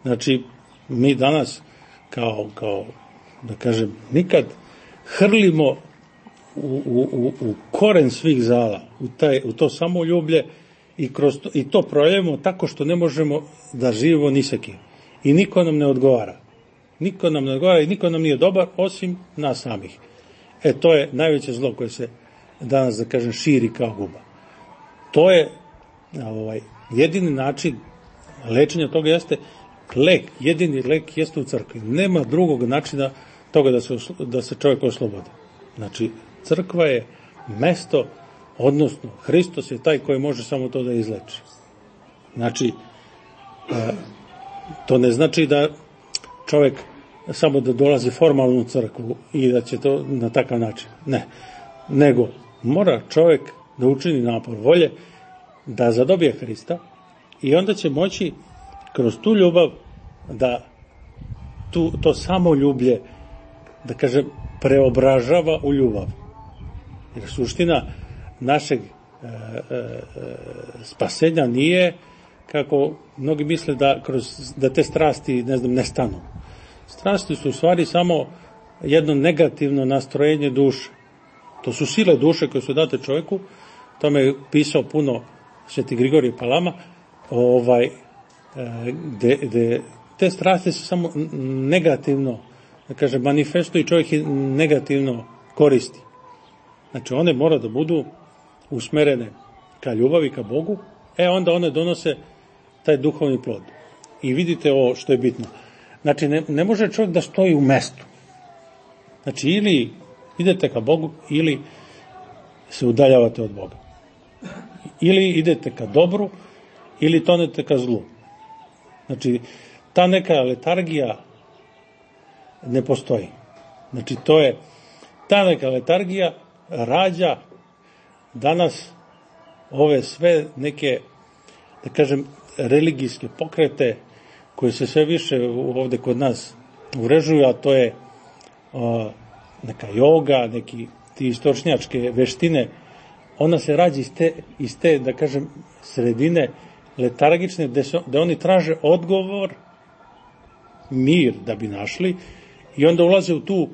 Znači, mi danas kao da kažem, nikad hrlimo u koren svih zala, u to samoljublje i to projevimo tako što ne možemo da živimo ni sa kim. I niko nam ne odgovara. Niko nam ne odgovara i niko nam nije dobar osim nas samih. To je najveće zlo koje se danas, da kažem, širi kao guba. To je jedini način lečenja toga jeste lek, jedini lek jeste u crkvi. Nema drugog načina toga da se čovjek oslobodi. Znači, crkva je mesto, odnosno Hristos je taj koji može samo to da izleči. Znači, to ne znači da čovjek samo da dolazi formalno u crkvu i da će to na takav način. Ne. Nego mora čovjek da učini napor volje, da zadobije Hrista i onda će moći kroz tu ljubav da to samoljublje, da kažem, preobražava u ljubav. Jer suština našeg spasenja nije, kako mnogi misle, da te strasti, ne stanu. Strasti su u stvari samo jedno negativno nastrojenje duše. To su sile duše koje su date čovjeku, tome je pisao puno Sveti Grigorije Palama, gde te strasti se samo negativno, da kažem, manifestuju i čovjek ih negativno koristi. Znači, one mora da budu usmerene ka ljubavi, ka Bogu, onda one donose taj duhovni plod. I vidite ovo što je bitno. Znači, ne može čovjek da stoji u mestu. Znači, ili idete ka Bogu, ili se udaljavate od Boga. Ili idete ka dobru, ili tonete ka zlu. Znači, ta neka letargija ne postoji. Znači, ta neka letargija rađa danas ove sve neke, da kažem, religijske pokrete koje se sve više ovde kod nas uvrežuju, a to je neka joga, neki ti istočnjačke veštine. Ona se rađa iz te, da kažem, sredine letargične, gde oni traže odgovor, mir da bi našli, i onda ulaze u tu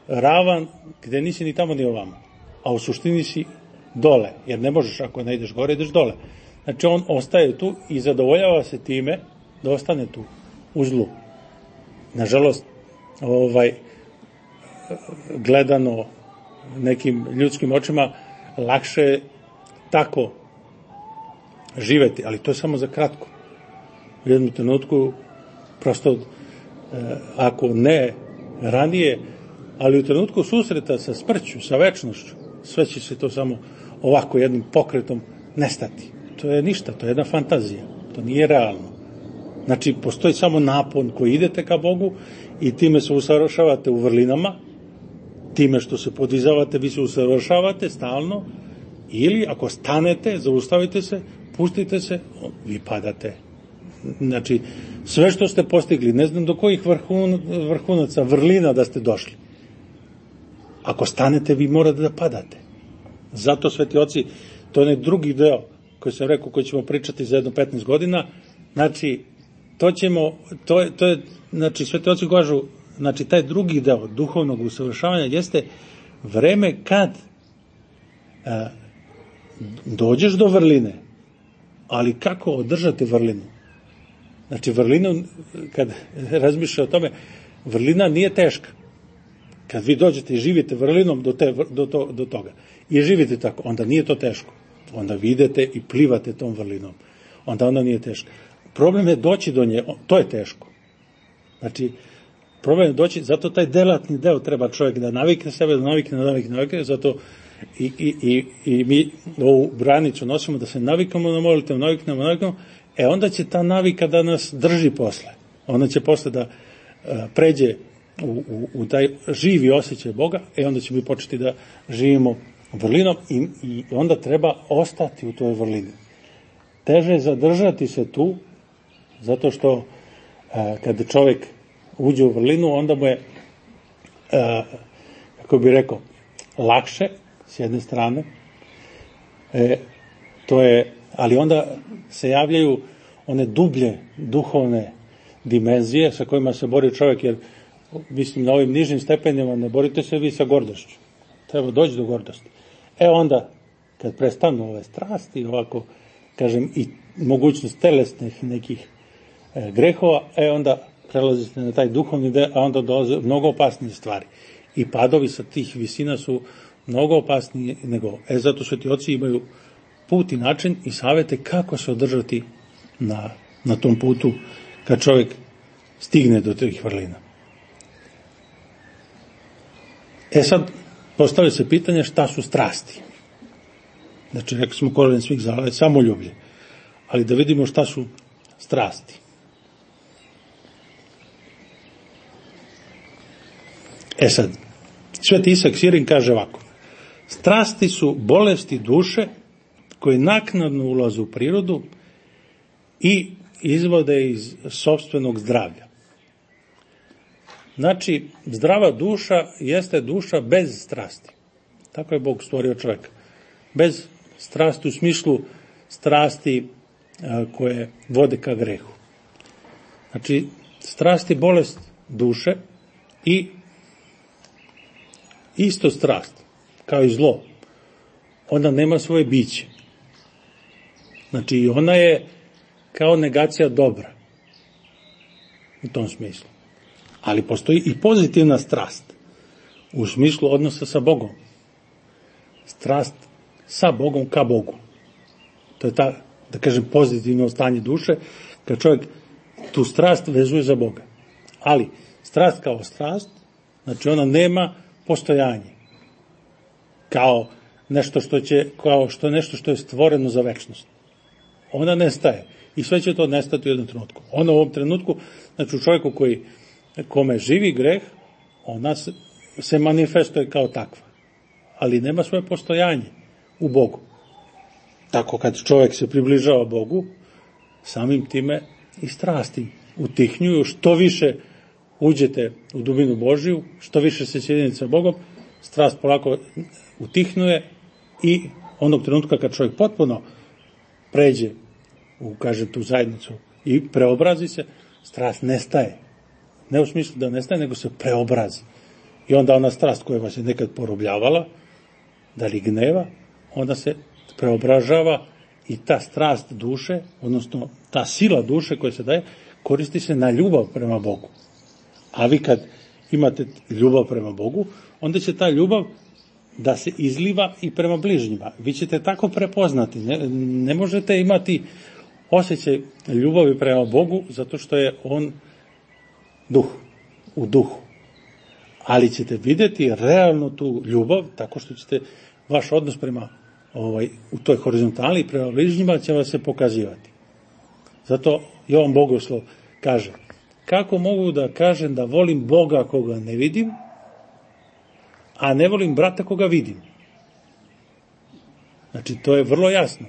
ravan gde nisi ni tamo ni ovamo, a u suštini si dole, jer ne možeš, ako ne ideš gore, ideš dole. Znači, on ostaje tu i zadovoljava se time da ostane tu u zlu. Nažalost, gledano nekim ljudskim očima, lakše je tako živeti, ali to je samo za kratko. U jednom trenutku, prosto, ako ne ranije, ali u trenutku susreta sa smrću, sa večnošću, sve će se to samo ovako jednim pokretom nestati. To je ništa, to je jedna fantazija, to nije realno. Znači, postoji samo napon koji idete ka Bogu i time se usavršavate u vrlinama, time što se podizavate, vi se usavršavate stalno, ili ako stanete, zaustavite se, pustite se, vi padate. Znači, sve što ste postigli, ne znam do kojih vrhunaca, vrlina da ste došli. Ako stanete, vi morate da padate. Zato, sveti oci, to je drugi deo koji sam rekao, koji ćemo pričati za jedno 15 godina, znači, znači, sveti oci kažu, znači, taj drugi deo duhovnog usavršavanja jeste vreme kad dođeš do vrline, ali kako održati vrlinu? Znači, vrlinu, kad razmišlja o tome, vrlina nije teška. Kad vi dođete i živite vrlinom do toga i živite tako, onda nije to teško. Onda vi idete i plivate tom vrlinom. Onda ona nije teška. Problem je doći do nje, to je teško. Znači, problem je doći, zato taj delatni deo treba čovjek da navikne sebe, da navikne, zato i mi ovu branicu nosimo da se navikamo na molitev, naviknemo, onda će ta navika da nas drži posle. Ona će posle da pređe u taj živi osjećaj Boga, onda ćemo mi početi da živimo vrlinom i onda treba ostati u toj vrlini. Teže je zadržati se tu, zato što kada čovjek uđe u vrlinu, onda mu je, kako bih rekao, lakše, s jedne strane, ali onda se javljaju one dublje duhovne dimenzije sa kojima se bori čovjek, jer mislim na ovim nižim stepenima ne borite se vi sa gordošću. Treba doći do gordosti. Onda, kad prestanu ove strasti, ovako, kažem, i mogućnost telesnih nekih grehova, onda prelazite na taj duhovni deo, a onda dolaze mnogo opasnije stvari. I padovi sa tih visina su mnogo opasniji nego. Zato sveti oci imaju put i način i savete kako se održati na tom putu kad čovjek stigne do tih vrlina. Sad, postavlja se pitanje šta su strasti. Znači, rekli smo korijen svih zala je samoljublje. Ali da vidimo šta su strasti. Sad, Sveti Isak Sirin kaže ovako: strasti su bolesti duše koje naknadno ulaze u prirodu i izvode iz sopstvenog zdravlja. Znači, zdrava duša jeste duša bez strasti. Tako je Bog stvorio čovjeka. Bez strasti u smislu strasti koje vode ka grehu. Znači, strast je bolest duše i isto strast, kao i zlo, ona nema svoje biće. Znači, ona je kao negacija dobra u tom smislu. Ali postoji i pozitivna strast u smislu odnosa sa Bogom. Strast sa Bogom ka Bogu. To je ta, da kažem, pozitivno stanje duše, kad čovjek tu strast vezuje za Boga. Ali strast kao strast, znači ona nema postojanje. Kao nešto što je stvoreno za večnost. Ona nestaje. I sve će to nestati u jednom trenutku. Ona u ovom trenutku, znači u čovjeku kome živi greh, ona se manifestuje kao takva. Ali nema svoje postojanje u Bogu. Tako kad čovjek se približava Bogu, samim time i strasti utihnjuju. Što više uđete u dubinu Božiju, što više se sjedinite sa Bogom, strast polako utihnuje i onog trenutka kad čovjek potpuno pređe u, kažem, tu zajednicu i preobrazi se, strast nestaje. Ne u smislu da nestaje, nego se preobrazi. I onda ona strast koja vas je nekad porobljavala, da li gneva, onda se preobražava i ta strast duše, odnosno ta sila duše koja se daje, koristi se na ljubav prema Bogu. A vi kad imate ljubav prema Bogu, onda će ta ljubav da se izliva i prema bližnjima. Vi ćete tako prepoznati. Ne možete imati osjećaj ljubavi prema Bogu, zato što je on duh, u duhu. Ali ćete vidjeti realno tu ljubav, tako što ćete vaš odnos prema u toj horizontali i prema bližnjima će vas se pokazivati. Zato Jovan Bogoslov kaže: kako mogu da kažem da volim Boga koga ne vidim, a ne volim brata koga vidim? Znači, to je vrlo jasno.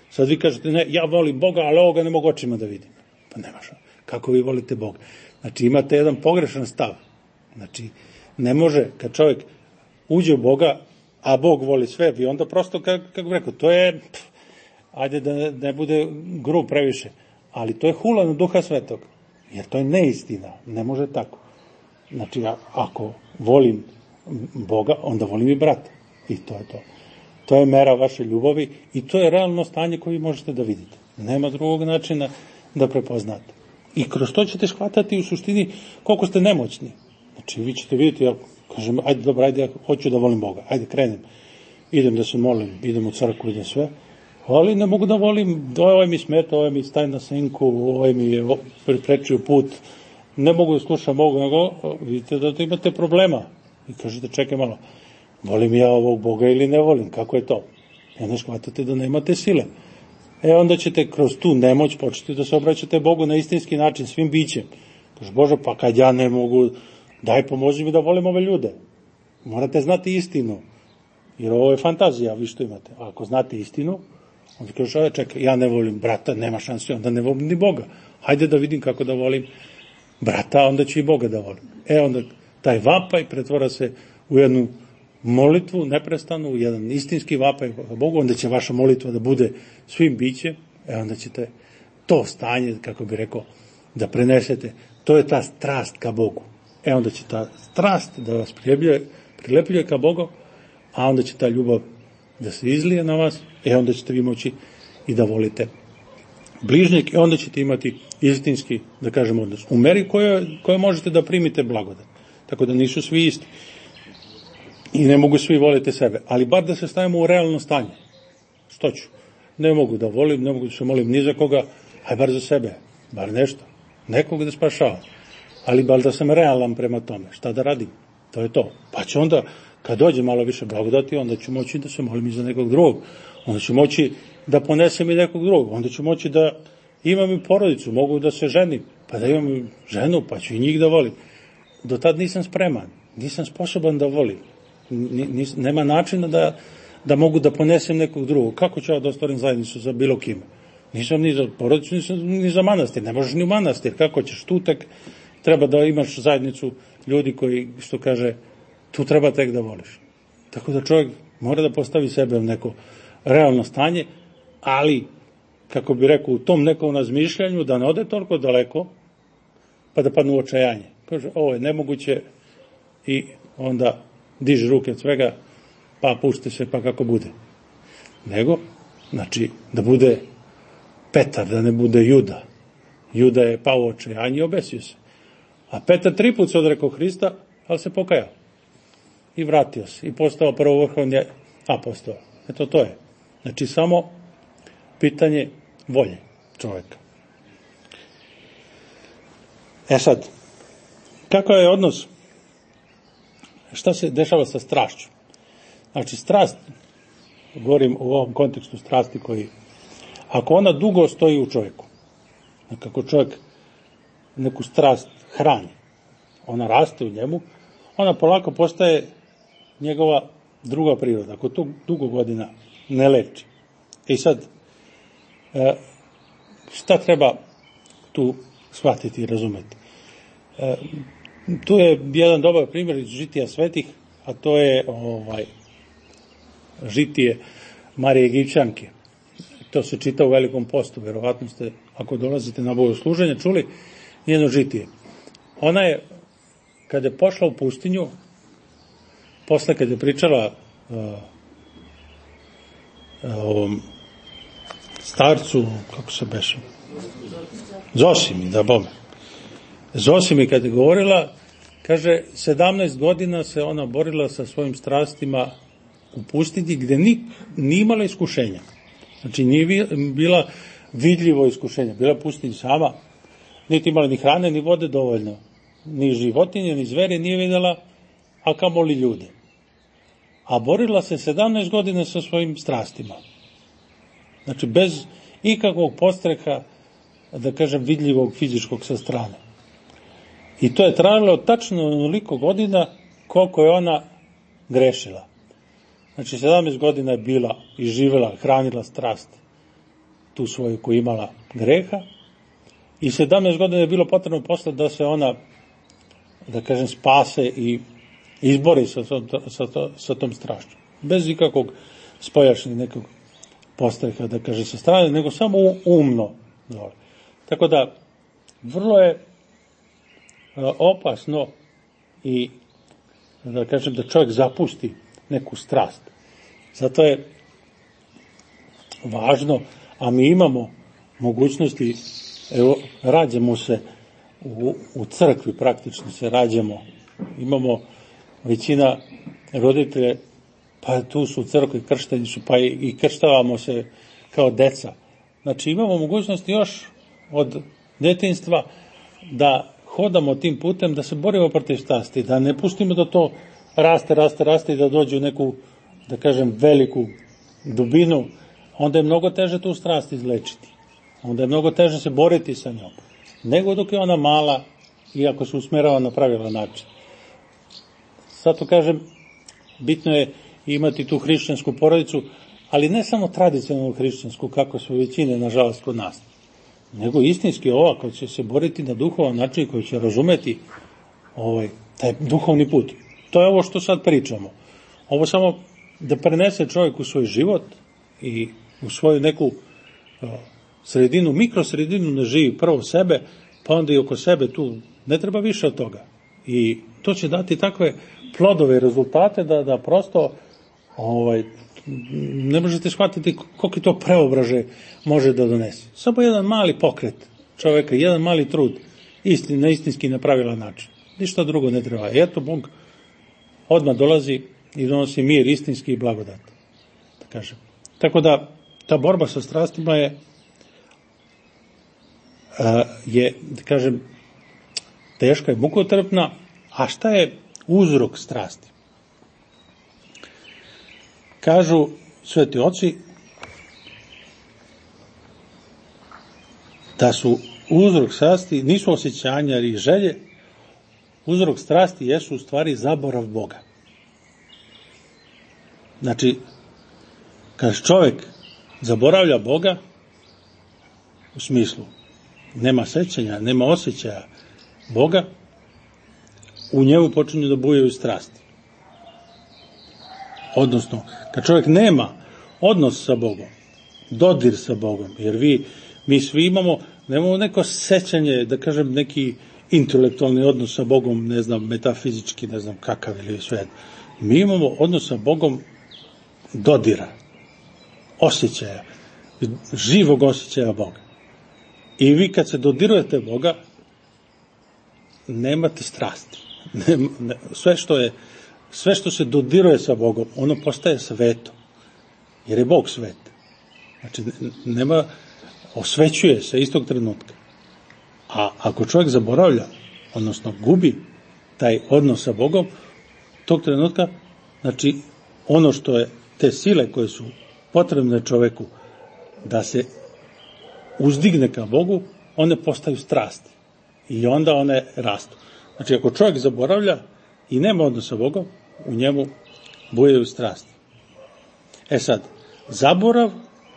Sad vi kažete, ne, ja volim Boga, ali ovoga ne mogu očima da vidim. Pa nemaš. Kako vi volite Boga? Znači, imate jedan pogrešan stav. Znači, ne može, kad čovjek uđe u Boga, a Bog voli sve, vi onda prosto, kako bih rekao, to je, ajde da ne bude grub previše, ali to je hula na Duha Svetog, jer to je neistina, ne može tako. Znači, ako volim Boga, onda volim i brata. I to je to. To je mera vaše ljubavi i to je realno stanje koje vi možete da vidite. Nema drugog načina da prepoznate. I kroz to ćete shvatati u suštini koliko ste nemoćni. Znači, vi ćete vidjeti, ja kažem, ajde, dobro, ajde, ja hoću da volim Boga, ajde, krenem, idem da se molim, idem u crkvu, idem sve, ali ne mogu da volim, ovaj mi smeta, ovaj mi staje na senku, ovaj mi je preprečio put, ne mogu da slušam Boga, nego vidite da imate problema. I kažete, čekaj malo, volim ja ovog Boga ili ne volim, kako je to? I onda shvatate da nemate sile. Onda ćete kroz tu nemoć početi da se obraćate Bogu na istinski način, svim bićem. Kaže, Bože, pa kad ja ne mogu, daj pomozi mi da volim ove ljude. Morate znati istinu, jer ovo je fantazija, vi što imate. A ako znate istinu, onda kaže, čekaj, ja ne volim brata, nema šanse, onda ne volim ni Boga. Hajde da vidim kako da volim brata, onda ću i Boga da volim. Onda taj vapaj pretvara se u jednu molitvu neprestanu, u jedan istinski vapaj Bogu, onda će vaša molitva da bude svim bićem, onda ćete to stanje, kako bi rekao, da prenesete. To je ta strast ka Bogu. Onda će ta strast da vas prilepljuje ka Bogu, a onda će ta ljubav da se izlije na vas, onda ćete vi moći i da volite bližnjeg, onda ćete imati istinski, da kažem, odnos. U meri koje možete da primite blagodat. Tako da nisu svi isti. I ne mogu svi voliti sebe. Ali bar da se stavimo u realno stanje. Što ću? Ne mogu da volim, ne mogu da se molim ni za koga, aj bar za sebe. Bar nešto. Nekog da spašavam. Ali bar da sam realan prema tome. Šta da radim? To je to. Pa će onda, kad dođe malo više blagodati, onda ću moći da se molim i za nekog drugog. Onda ću moći da ponesem i nekog drugog. Onda ću moći da imam i porodicu. Mogu da se ženim. Pa da imam ženu, pa ću i njih da volim. Do tad nisam spreman. nisam sposoban da volim. Nema načina da mogu da ponesem nekog drugog. Kako ću ja da ostvarim zajednicu za bilo kime? Nisam ni za porodicu, nisam ni za manastir. Ne možeš ni u manastir. Kako ćeš? Tu tek treba da imaš zajednicu ljudi koji, što kaže, tu treba tek da voliš. Tako da čovjek mora da postavi sebe u neko realno stanje, ali, kako bi rekao, u tom nekom razmišljanju da ne ode toliko daleko, pa da padnu u očajanje. Kaže, ovo je nemoguće i onda diži ruke od svega, pa pušti se, pa kako bude. Nego, znači, da bude Petar, da ne bude Juda. Juda je pao u očajanje i obesio se. A Petar 3 put se odrekao Hrista, ali se pokajao. I vratio se. I postao prvovrhovni apostol. Eto, to je. Znači, samo pitanje volje čoveka. Sad, kakav je odnos, šta se dešava sa strašću? Znači, strast, govorim u ovom kontekstu strasti koji, ako ona dugo stoji u čovjeku, kako čovjek neku strast hrani, ona raste u njemu, ona polako postaje njegova druga priroda, ako to dugo godina ne leči. I sad, šta treba tu shvatiti i razumeti? Tu je jedan dobar primjer iz žitija svetih, a to je žitije Marije Egipćanke. To se čita u Velikom postu, verovatno ste, ako dolazite na bogosluženje, čuli njeno žitije. Ona je, kada je pošla u pustinju, posle kada je pričala ovom starcu, kako se beše? Zosimi, da bome. Zosimi kada je govorila, kaže, 17 godina se ona borila sa svojim strastima u pustinji, gde nije imala iskušenja. Znači, nije bila vidljivo iskušenja. Bila pustinja sama, niti imala ni hrane, ni vode dovoljno. Ni životinje, ni zvere nije videla, a kamoli ljude. A borila se 17 godina sa svojim strastima. Znači, bez ikakvog podstreka, da kažem, vidljivog fizičkog sa strane. I to je trajalo tačno onoliko godina koliko je ona grešila. Znači, 17 godina je bila i živela, hranila strast tu svoju koju imala greha i 17 godina je bilo potrebno posle da se ona, da kažem, spase i izbori sa tom strašću. Bez ikakvog spoljašnjeg nekog postreka, da kaže, sa strane, nego samo umno. Tako da, vrlo je opasno i, da kažem, da čovjek zapusti neku strast. Zato je važno, a mi imamo mogućnosti, evo, rađamo se u crkvi, praktično se rađamo, imamo većina roditelja, pa tu su u crkvi, kršteni su, pa i krštavamo se kao deca. Znači, imamo mogućnosti još od detinjstva da hodamo tim putem, da se borimo protiv strasti, da ne pustimo da to raste i da dođe u neku, da kažem, veliku dubinu, onda je mnogo teže tu strast izlečiti. Onda je mnogo teže se boriti sa njom, nego dok je ona mala i ako se usmerava na pravilan način. Zato kažem, bitno je imati tu hrišćansku porodicu, ali ne samo tradicionalnu hrišćansku, kako su većine, nažalost, kod nas, nego istinski ova koja će se boriti na duhovan način, koja će razumeti taj duhovni put. To je ovo što sad pričamo. Ovo samo da prenese čovjek u svoj život i u svoju neku sredinu, mikrosredinu, ne živi prvo sebe, pa onda i oko sebe, tu ne treba više od toga. I to će dati takve plodove i rezultate da prosto ne možete shvatiti koliko to preobraže može da donese. Samo jedan mali pokret čovjeka, jedan mali trud, na istinski na pravilan način. Ništa drugo ne treba. Eto, Bog odmah dolazi i donosi mir istinski i blagodat. Da kažem. Tako da, ta borba sa strastima je, da kažem, teška i mukotrpna, a šta je uzrok strasti? Kažu sveti oci da su uzrok strasti nisu osjećanja ili želje, uzrok strasti jesu u stvari zaborav Boga. Znači, kad čovjek zaboravlja Boga, u smislu nema sećanja, nema osjećaja Boga, u njemu počinju da bujaju strasti. Odnosno, kad čovjek nema odnos sa Bogom, dodir sa Bogom, jer mi svi nemamo neko sećanje, da kažem, neki intelektualni odnos sa Bogom, ne znam, metafizički, ne znam kakav ili sve. Mi imamo odnos sa Bogom dodira, osjećaja, živog osjećaja Boga. I vi kad se dodirujete Boga, nemate strasti. Sve što se dodiruje sa Bogom, ono postaje sveto. Jer je Bog svet. Znači, osvećuje se istog trenutka. A ako čovjek zaboravlja, odnosno gubi taj odnos sa Bogom, tog trenutka, znači, ono što je, te sile koje su potrebne čovjeku da se uzdigne ka Bogu, one postaju strasti. I onda one rastu. Znači, ako čovjek zaboravlja i nema odnosa sa Bogom, u njemu bujaju strasti. Sad, zaborav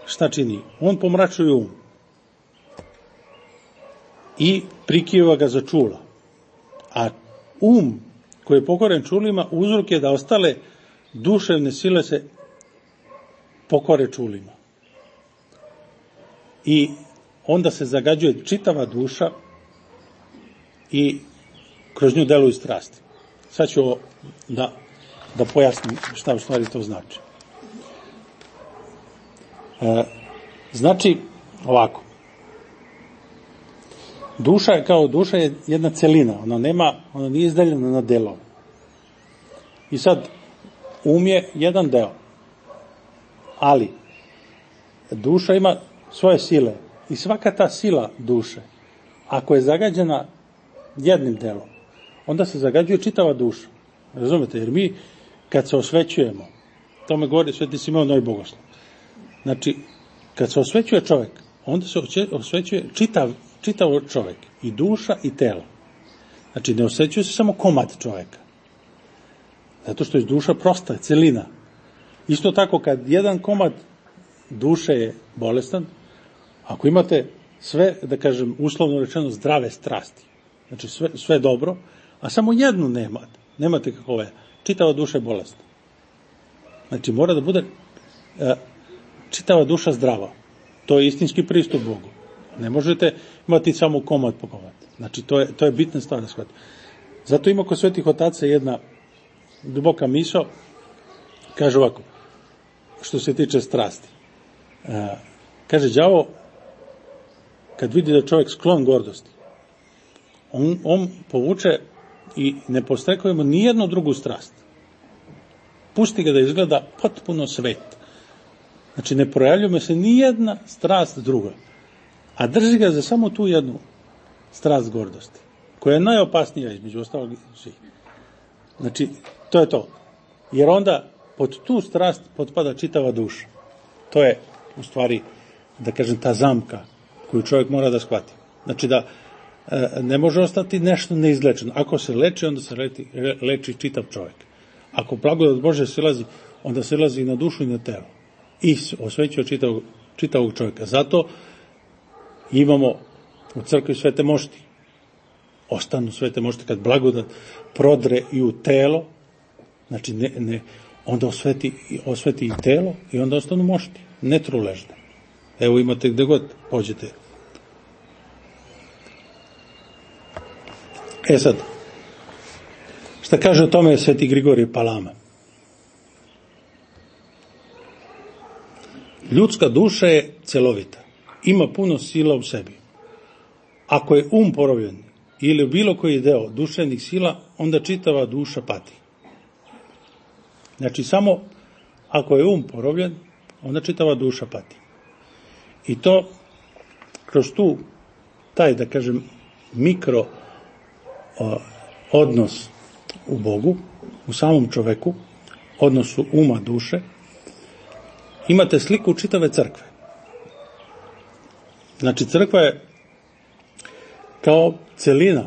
šta čini? On pomračuje um i prikiva ga za čula. A um koji je pokoren čulima, uzrok je da ostale duševne sile se pokore čulima. I onda se zagađuje čitava duša i kroz nju deluju strasti. Sad ću da pojasnim šta u stvari to znači. Znači, ovako. Duša je jedna celina, ona nije izdeljena na delove. I sad, um je jedan deo. Ali, duša ima svoje sile. I svaka ta sila duše, ako je zagađena jednim delom, onda se zagađuje čitava duša. Razumete? Jer mi, kad se osvećujemo, tome govori Sveti Simeon Novi Bogoslov. Znači, kad se osvećuje čovjek, onda se osvećuje čitav čovjek, i duša i telo. Znači, ne osvećuje se samo komad čovjeka. Zato što je duša prosta, celina. Isto tako, kad jedan komad duše je bolestan, ako imate sve, da kažem, uslovno rečeno, zdrave strasti, znači sve dobro, a samo jednu nemate kakove, čitava duša je bolesna. Znači, mora da bude čitava duša zdrava. To je istinski pristup Bogu. Ne možete imati samo komad po komad. Znači, to je bitna stvar da shvatite. Zato ima kod svetih otaca jedna duboka misao, kaže ovako, što se tiče strasti. Kaže, đavo, kad vidi da je čovjek sklon gordosti, on povuče i ne podstrekuje mu nijednu drugu strast. Pusti ga da izgleda potpuno svet. Znači, ne projavljuje se nijedna strast druga, a drži ga za samo tu jednu strast gordosti, koja je najopasnija između ostalog svih. Znači, to je to. Jer onda pod tu strast potpada čitava duša. To je, u stvari, da kažem, ta zamka koju čovjek mora da shvati. Znači, da ne može ostati nešto neizlečeno. Ako se leči, onda se leči čitav čovjek. Ako blagodat Bože silazi, onda silazi i na dušu i na telo. I osvećuje čitavog čovjeka. Zato imamo u crkvi svete mošti. Ostanu svete mošti kad blagodat prodre i u telo, znači onda osveti i telo i onda ostanu mošti, netruležne. Evo imate gde god pođete. Sad, šta kaže o tome Sveti Grigorije Palama? Ljudska duša je celovita, ima puno sila u sebi. Ako je porobljen ili bilo koji deo duševnih sila, onda čitava duša pati. Znači, samo ako je porobljen, onda čitava duša pati. I to kroz taj, da kažem, mikro odnos u Bogu, u samom čoveku, odnosu uma, duše, imate sliku čitave crkve. Znači, crkva je kao celina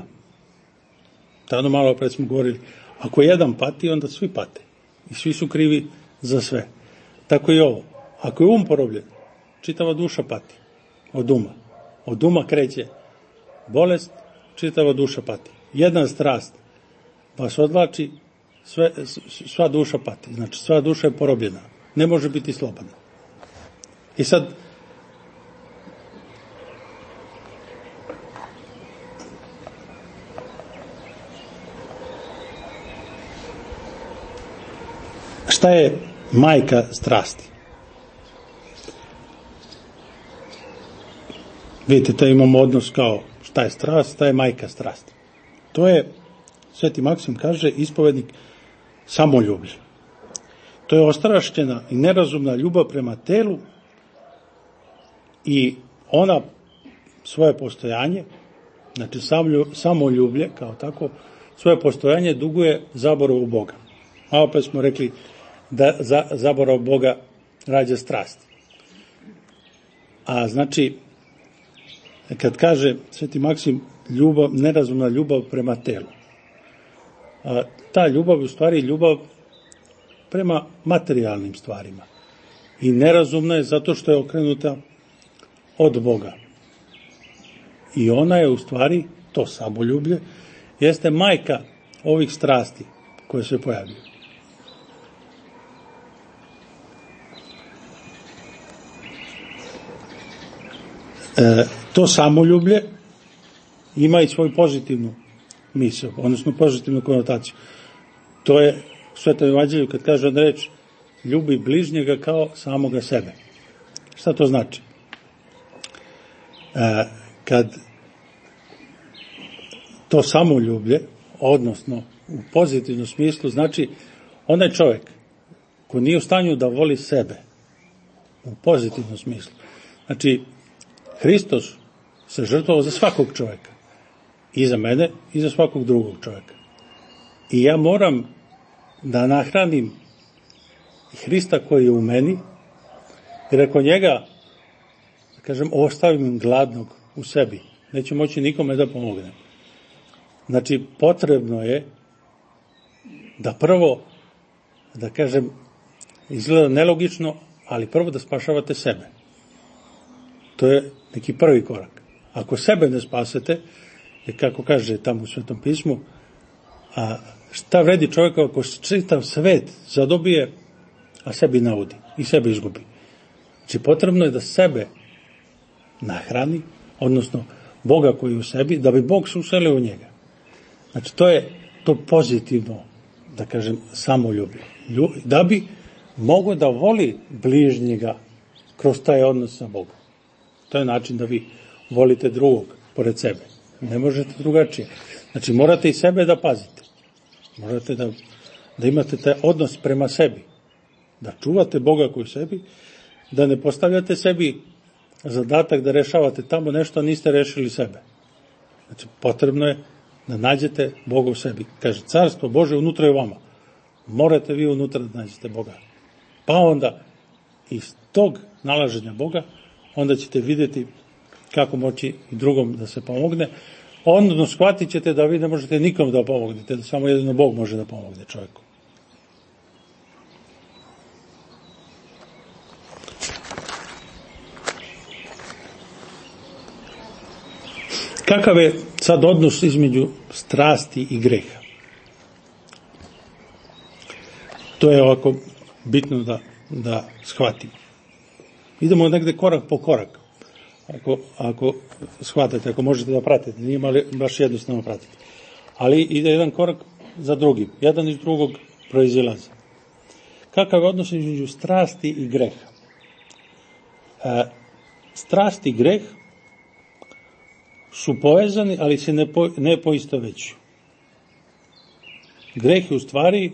tada malo pred smo govorili, ako jedan pati, onda svi pate. I svi su krivi za sve. Tako i ovo. Ako je porobljen, čitava duša pati od uma. Od uma kreće bolest, čitava duša pati. Jedna strast vas odvlači, sva duša pati. Znači, sva duša je porobljena. Ne može biti slobodna. I sad, šta je majka strasti? Vidite, to imamo odnos kao šta je strast, šta je majka strasti. To je, Sveti Maksim kaže, ispovednik samoljublje. To je ostrašćena i nerazumna ljubav prema telu i ona svoje postojanje, znači samoljublje kao tako, svoje postojanje duguje zaboravu Boga. A opet smo rekli da zaborav Boga rađa strasti. A znači, kad kaže Sveti Maksim nerazumna ljubav prema telu, ta ljubav je u stvari ljubav prema materijalnim stvarima. I nerazumna je zato što je okrenuta od Boga. I ona je u stvari, to samoljublje, jeste majka ovih strasti koje se pojavljuju. To samoljublje ima i svoju pozitivnu misao, odnosno pozitivnu konotaciju. To je u Svetom evanđelju kad kaže od reč ljubi bližnjega kao samoga sebe. Šta to znači? Kad to samoljublje, odnosno u pozitivnom smislu, znači onaj čovjek ko nije u stanju da voli sebe u pozitivnom smislu. Znači, Hristos se žrtvovao za svakog čovjeka. I za mene, i za svakog drugog čovjeka. I ja moram da nahranim Hrista koji je u meni, jer ako njega, da kažem, ostavim gladnog u sebi, neću moći nikome da pomognem. Znači, potrebno je da prvo, da kažem, izgleda nelogično, ali prvo da spašavate sebe. To je neki prvi korak. Ako sebe ne spasete, jer kako kaže tamo u Svetom pismu, a šta vredi čovjeka ako čitav svet zadobije, a sebi naudi i sebe izgubi. Znači, potrebno je da sebe nahrani, odnosno Boga koji je u sebi, da bi Bog se uselio u njega. Znači, to je to pozitivno, da kažem, samoljublje. Da bi mogao da voli bližnjega kroz taj odnos sa Bogom. To je način da vi volite drugog pored sebe. Ne možete drugačije. Znači, morate i sebe da pazite. Morate da imate taj odnos prema sebi. Da čuvate Boga koji u sebi, da ne postavljate sebi zadatak da rešavate tamo nešto, a niste rešili sebe. Znači, potrebno je da nađete Boga u sebi. Kaže, carstvo Bože unutra je vama. Morate vi unutra da nađete Boga. Pa onda, iz tog nalaženja Boga, onda ćete vidjeti kako moći i drugom da se pomogne. Onda shvatit ćete da vi ne možete nikom da pomognete, da samo jedino Bog može da pomogne čovjeku. Kakav je sad odnos između strasti i greha? To je ovako bitno da shvatimo. Idemo negde korak po korak. Ako shvatate, ako možete da pratite, nije baš jednostavno pratiti. Ali ide jedan korak za drugim. Jedan iz drugog proizilaze. Kakav je odnos između strasti i greha? Strast i greh su povezani, ali se ne poistovećuju. Greh je u stvari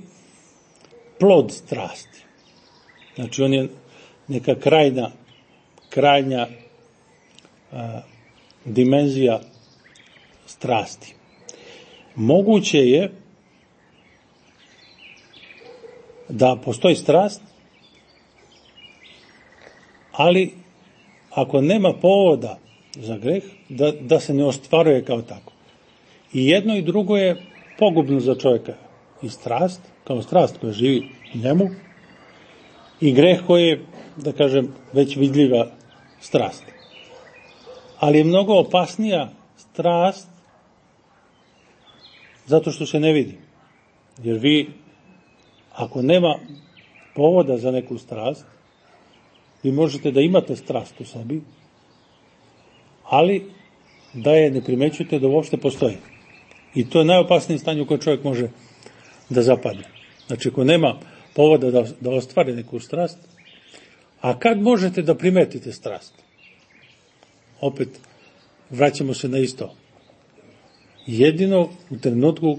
plod strasti. Znači, on je neka krajnja dimenzija strasti. Moguće je da postoji strast, ali ako nema povoda za greh, da se ne ostvaruje kao tako. I jedno i drugo je pogubno za čovjeka i strast, kao strast koja živi u njemu, i greh koji je, da kažem, već vidljiva strast. Ali je mnogo opasnija strast zato što se ne vidi. Jer vi, ako nema povoda za neku strast, vi možete da imate strast u sebi, ali da je ne primećujete da uopšte postoji. I to je najopasnije stanje u koje čovjek može da zapadne. Znači, ako nema povoda da ostvari neku strast, a kad možete da primetite strast? Opet, vraćamo se na isto. Jedino u trenutku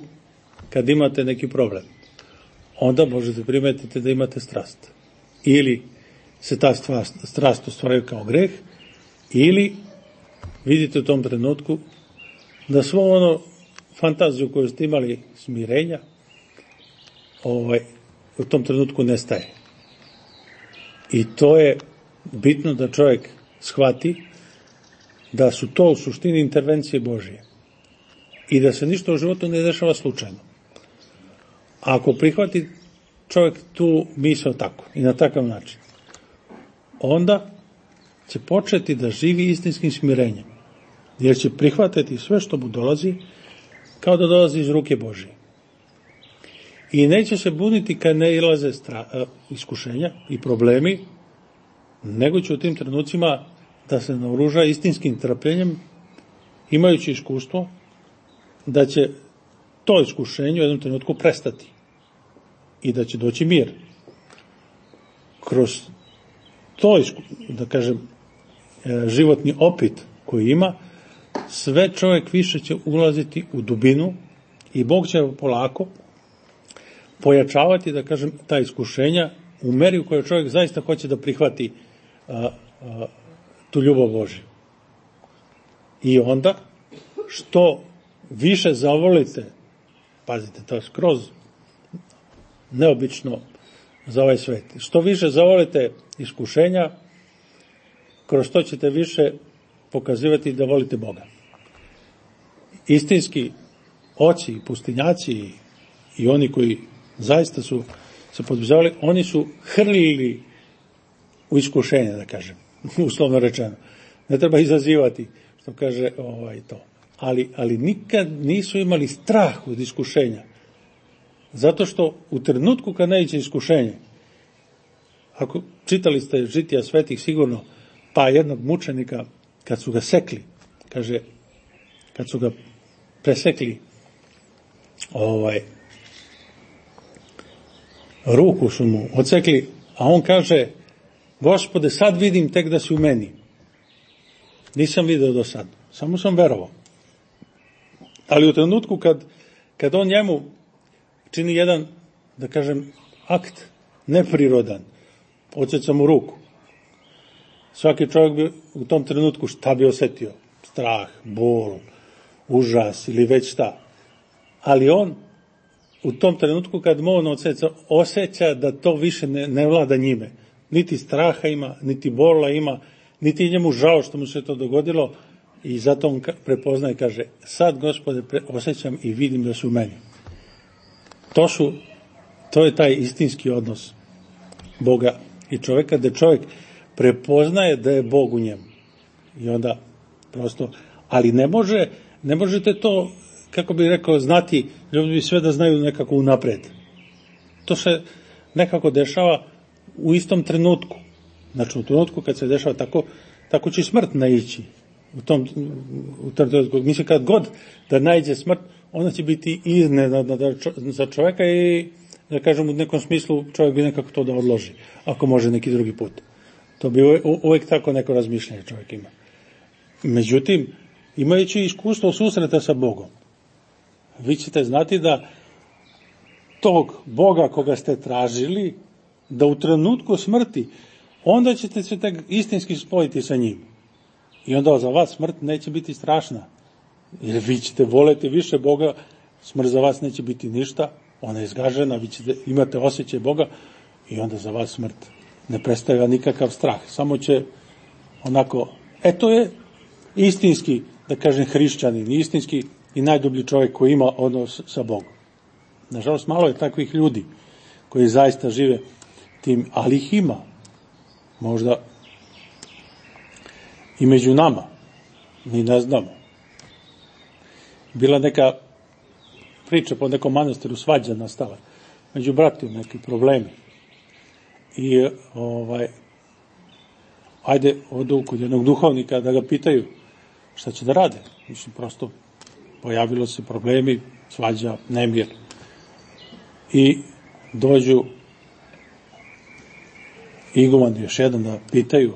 kad imate neki problem, onda možete primetiti da imate strast. Ili se ta strast ostvaruje kao greh, ili vidite u tom trenutku da svo ono fantaziju koju ste imali smirenja, u tom trenutku nestaje. I to je bitno da čovjek shvati da su to u suštini intervencije Božije i da se ništa u životu ne dešava slučajno. A ako prihvati čovjek tu misao tako i na takav način, onda će početi da živi istinskim smirenjem, jer će prihvatiti sve što mu dolazi kao da dolazi iz ruke Božije. I neće se buniti kad ne ilaze iskušenja i problemi, nego će u tim trenucima da se naoruža istinskim trpljenjem, imajući iskustvo da će to iskušenje u jednom trenutku prestati i da će doći mir. Kroz to, da kažem, životni opit koji ima, sve čovjek više će ulaziti u dubinu i Bog će polako pojačavati, da kažem, ta iskušenja u meri u kojoj čovjek zaista hoće da prihvati tu ljubav Božju. I onda, što više zavolite, pazite, to je skroz neobično za ovaj svet, što više zavolite iskušenja, kroz to ćete više pokazivati da volite Boga. Istinski oci, pustinjaci i oni koji zaista su se podvizavali, oni su hrlili u iskušenje, da kažem, uslovno rečeno. Ne treba izazivati, što kaže to. Ali nikad nisu imali strah od iskušenja. Zato što u trenutku kad naiđe iskušenje, ako čitali ste žitija svetih sigurno, pa jednog mučenika, kad su ga sekli, kaže, kad su ga presekli, ruku su mu odsekli, a on kaže, Gospode, sad vidim tek da si u meni. Nisam video do sad, samo sam verovao. Ali u trenutku kad on njemu čini jedan, da kažem, akt neprirodan, odseca mu ruku, svaki čovjek bi u tom trenutku šta bi osjetio? Strah, bol, užas ili već šta. Ali on u tom trenutku kad mu on odseca, osjeća da to više ne vlada njime. Niti straha ima, niti bola ima, niti njemu žao što mu se to dogodilo, i zato on prepoznaje i kaže, sad, Gospode, osjećam i vidim da su u meni. To je taj istinski odnos Boga i čovjeka, da čovjek prepoznaje da je Bog u njemu. I onda prosto, ali ne možete to, kako bih rekao, znati, ljudi bi sve da znaju nekako unapred. To se nekako dešava u istom trenutku. Znači, u trenutku kad se dešava tako će smrt naići. U tom trenutku. Mislim, kad god da naiđe smrt, ona će biti iznenadna za čovjeka i, da kažem, u nekom smislu čovjek bi nekako to da odloži, ako može neki drugi put. To bi uvijek tako neko razmišljanje čovjek ima. Međutim, imajući iskustvo susreta sa Bogom, vi ćete znati da tog Boga koga ste tražili, da u trenutku smrti, onda ćete se tek istinski spojiti sa njim. I onda za vas smrt neće biti strašna. Jer vi ćete voleti više Boga, smrt za vas neće biti ništa, ona je izgažena, vi ćete imate osjećaj Boga i onda za vas smrt ne predstavlja nikakav strah. Samo će onako, to je istinski, da kažem, hrišćanin, istinski i najdublji čovjek koji ima odnos sa Bogom. Nažalost, malo je takvih ljudi koji zaista žive tim, ali ih ima. Možda i među nama. Mi ne znamo. Bila neka priča po nekom manastiru, svađa nastala. Među bratima neki problemi. I ajde odu kod jednog duhovnika da ga pitaju šta će da rade. Mislim, prosto pojavilo se problemi, svađa, nemir. I dođu iguman još jedan da pitaju.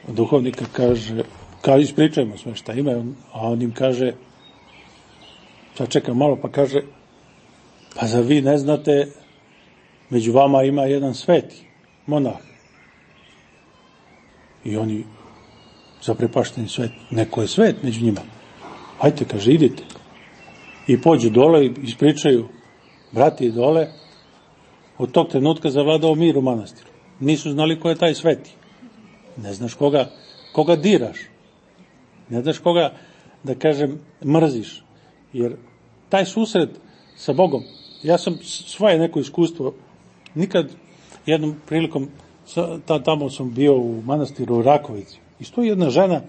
Duhovnika kaže, kao ispričajmo sve šta ima, a on im kaže, sad čekam malo, pa kaže, pa zar vi ne znate, među vama ima jedan sveti monah. I oni zaprepašteni svet, neko je svet među njima. Hajte, kaže, idite. I pođu dole i ispričaju, brati dole, od tog trenutka zavladao mir u manastiru. Nisu znali ko je taj sveti. Ne znaš koga diraš. Ne znaš koga, da kažem, mrziš. Jer taj susret sa Bogom, ja sam svoje neko iskustvo, nikad jednom prilikom, tamo sam bio u manastiru u Rakovici, i stoji jedna žena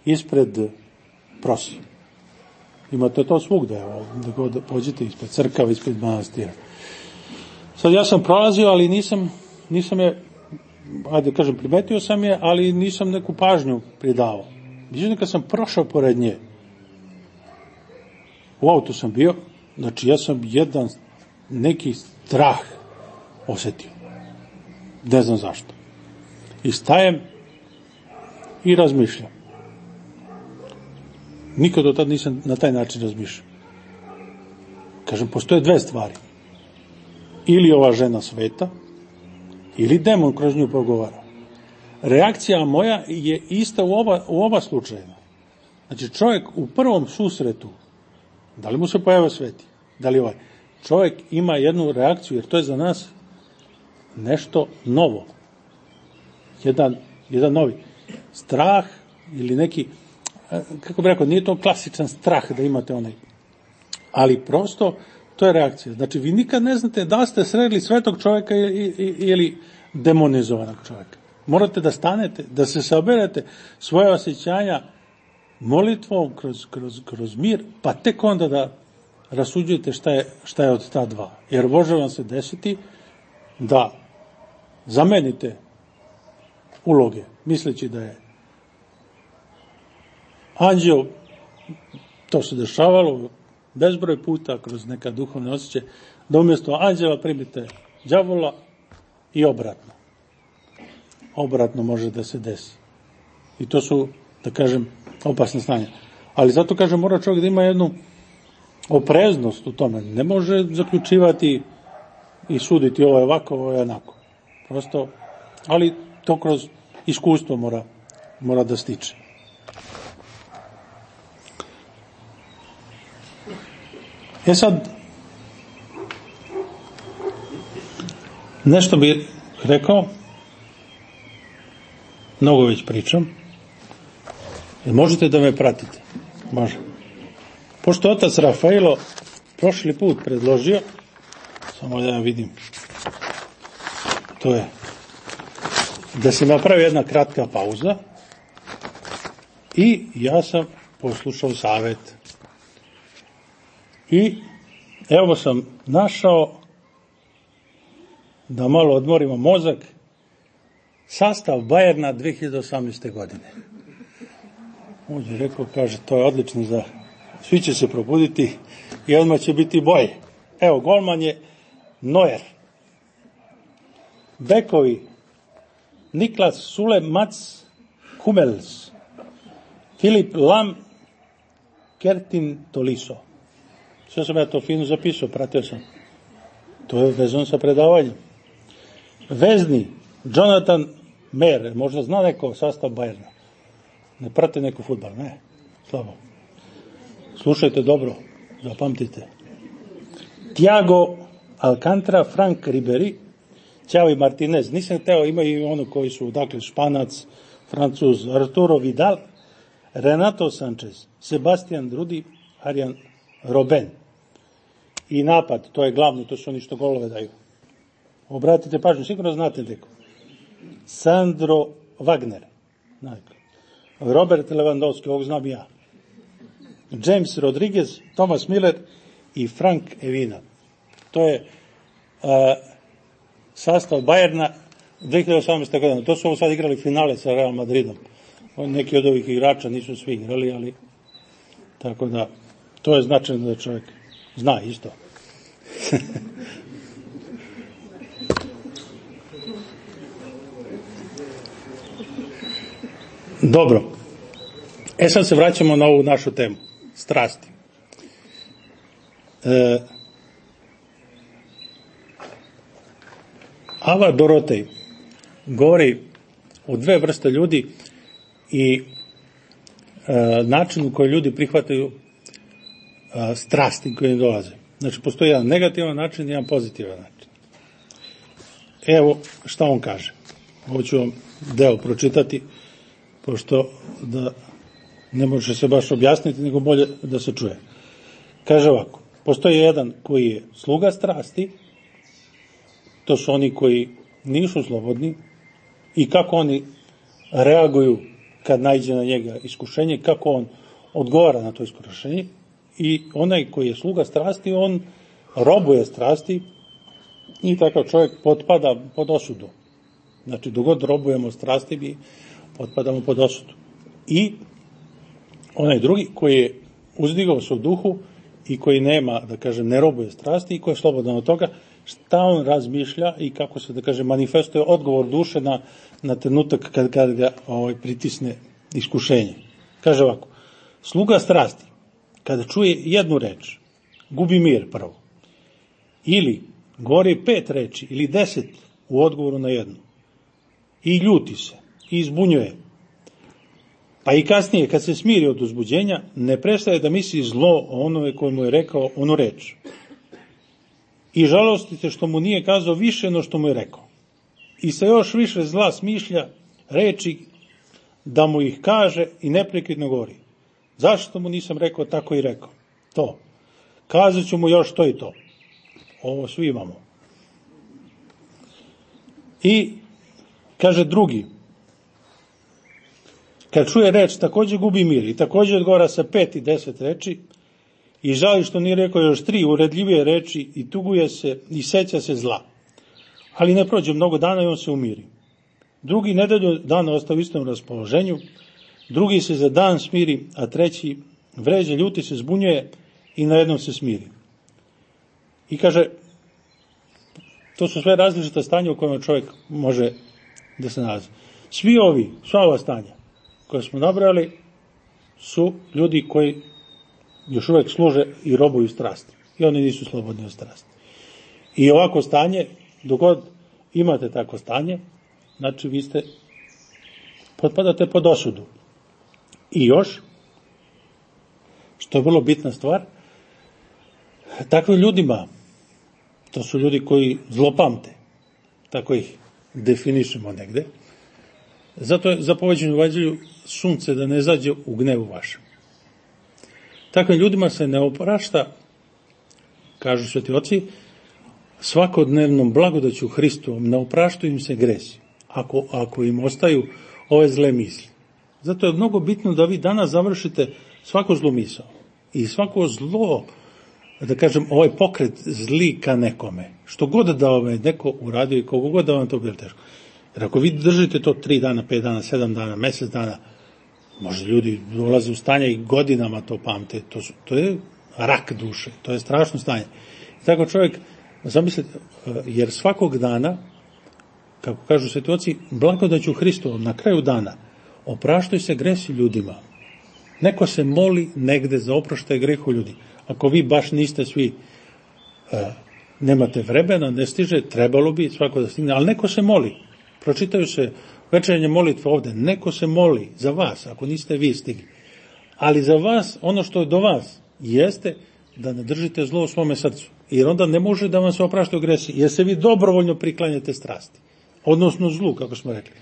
ispred prosi. Imate to svugde, da god pođete ispred crkava, ispred manastira. Sad ja sam prolazio, ali nisam je, ajde kažem, primetio sam je, ali nisam neku pažnju pridavao. Međutim, kad sam prošao pored nje, u autu sam bio, znači ja sam jedan neki strah osjetio. Ne znam zašto. I stajem i razmišljam. Nikad do tada nisam na taj način razmišljao. Kažem, postoje dve stvari. Ili ova žena sveta, ili demon kroz nju progovara. Reakcija moja je ista u oba slučajeva. Znači, čovjek u prvom susretu, da li mu se pojavio sveti, da li ovaj, čovjek ima jednu reakciju, jer to je za nas nešto novo. Jedan novi strah ili neki, kako bih rekao, nije to klasičan strah da imate onaj, ali prosto to je reakcija. Znači, vi nikad ne znate da ste sreli svetog čovjeka ili demonizovanog čovjeka. Morate da stanete, da se saberete svoje osjećanja molitvom kroz mir, pa tek onda da rasuđujete šta je od ta dva. Jer može vam se desiti da zamenite uloge, misleći da je anđeo, to se dešavalo bezbroj puta kroz neka duhovne osjećaje, da umjesto anđela primite đavola i obratno. Obratno može da se desi. I to su, da kažem, opasne stanja. Ali zato, kažem, mora čovjek da ima jednu opreznost u tome. Ne može zaključivati i suditi ovo je ovako, ovo je onako. Prosto, ali to kroz iskustvo mora da stiče. Sad, nešto bih rekao, mnogo već pričam, možete da me pratite? Može. Pošto otac Rafaelo prošli put predložio, samo da ja vidim, to je da se napravi jedna kratka pauza i ja sam poslušao savjet. I evo sam našao da malo odmorimo mozak, sastav Bajerna 2018. godine. On je rekao, kaže, to je odlično za svi će se probuditi i odmah će biti bolje. Evo, golman je Neuer. Bekovi Niklas Sule Mats Hummels, Filip Lam, Kertin Tolisso. Sve sam ja to fino zapisao, pratio sam. To je vezano sa predavanjem. Vezni, Jonathan Mer, možda zna neko sastav Bajerna. Ne prate neko fudbal, ne, slabo. Slušajte dobro, zapamtite. Thiago Alcantara, Frank Ribery, Xavi Martinez. Nisam hteo, imaju ono koji su, dakle, Španac, Francuz, Arturo Vidal, Renato Sanchez, Sebastian Rudi, Arjan Robben. I napad, to je glavno, to su oni što golove daju. Obratite pažnju, sigurno znate neko. Sandro Wagner, Robert Lewandowski, ovog znam ja. James Rodriguez, Thomas Miller i Frank Evina. To je sastav Bayerna 2018. godina. To su ovo sad igrali finale sa Real Madridom. Neki od ovih igrača nisu svi igrali, ali tako da to je značajno da čovjek zna isto. Dobro. Sad se vraćamo na ovu našu temu. Strasti. Ava Dorotej govori o dve vrste ljudi i načinu koji ljudi prihvataju strasti koje im dolaze. Znači, postoji jedan negativan način i jedan pozitivan način. Evo šta on kaže. Ovo ću vam deo pročitati, pošto da ne može se baš objasniti, nego bolje da se čuje. Kaže ovako, postoji jedan koji je sluga strasti, to su oni koji nisu slobodni i kako oni reaguju kad naiđe na njega iskušenje, kako on odgovara na to iskušenje. I onaj koji je sluga strasti, on robuje strasti i takav čovjek potpada pod osudu. Znači, dok god robujemo strasti, mi potpadamo pod osudu. I onaj drugi koji je uzdigao se u duhu i koji nema, da kažem, ne robuje strasti i koji je slobodan od toga, šta on razmišlja i kako se, da kažem, manifestuje odgovor duše na trenutak kad ga pritisne iskušenje. Kaže ovako, sluga strasti, kada čuje jednu reč, gubi mir prvo. Ili govori 5 reči ili 10 u odgovoru na jednu. I ljuti se, i izbunjuje. Pa i kasnije, kad se smiri od uzbuđenja, ne prestaje da misli zlo o onome koji mu je rekao onu reč. I žalostite što mu nije kazao više no što mu je rekao. I sa još više zla smišlja reči da mu ih kaže i neprekidno govori. Zašto mu nisam rekao tako i rekao? To. Kazat ću mu još to i to. Ovo svi imamo. I kaže drugi, kad čuje reč, također gubi mir i također odgovara sa 5 i 10 reči i žali što nije rekao još 3 uredljivije reči i tuguje se i seća se zla. Ali ne prođe mnogo dana i on se umiri. Drugi nedelju dana ostaje u istom raspoloženju, drugi se za dan smiri, a treći vređa, ljuti se, zbunjuje i na jednom se smiri. I kaže, to su sve različita stanja u kojima čovjek može da se nalazi. Sva ova stanja koje smo nabrali su ljudi koji još uvijek služe i robuju strasti. I oni nisu slobodni od strasti. I ovako stanje, dok god imate tako stanje, znači vi potpadate pod osudu. I još, što je vrlo bitna stvar, takvim ljudima, to su ljudi koji zlopamte, tako ih definišemo negde, zato je zapoveđeno u evanđelju sunce da ne zađe u gnevu vašem. Takvim ljudima se ne oprašta, kažu sveti oci, svakodnevnom blagodaću Hristovom ne opraštaju im se gresi, ako im ostaju ove zle misli. Zato je mnogo bitno da vi danas završite svako zlo misao i svako zlo, da kažem, ovaj pokret zli ka nekome. Što god da vam je neko uradio i kogo god da vam to bilo teško. Jer ako vi držite to 3 dana, 5 dana, 7 dana, mjesec dana, možda ljudi dolaze u stanja i godinama to pamte. To je rak duše, to je strašno stanje. I tako čovjek, zamislite, jer svakog dana, kako kažu sveti oci, blagodaću Hristovom na kraju dana, opraštaju se gresi ljudima. Neko se moli negde za oproštaj grehu ljudi. Ako vi baš niste svi, nemate vremena, ne stiže, trebalo bi svako da stigne, ali neko se moli. Pročitaju se večernje molitve ovde, neko se moli za vas, ako niste vi stigli. Ali za vas, ono što je do vas, jeste da ne držite zlo u svome srcu. Jer onda ne može da vam se opraštaju gresi, jer se vi dobrovoljno priklanjate strasti. Odnosno zlu, kako smo rekli.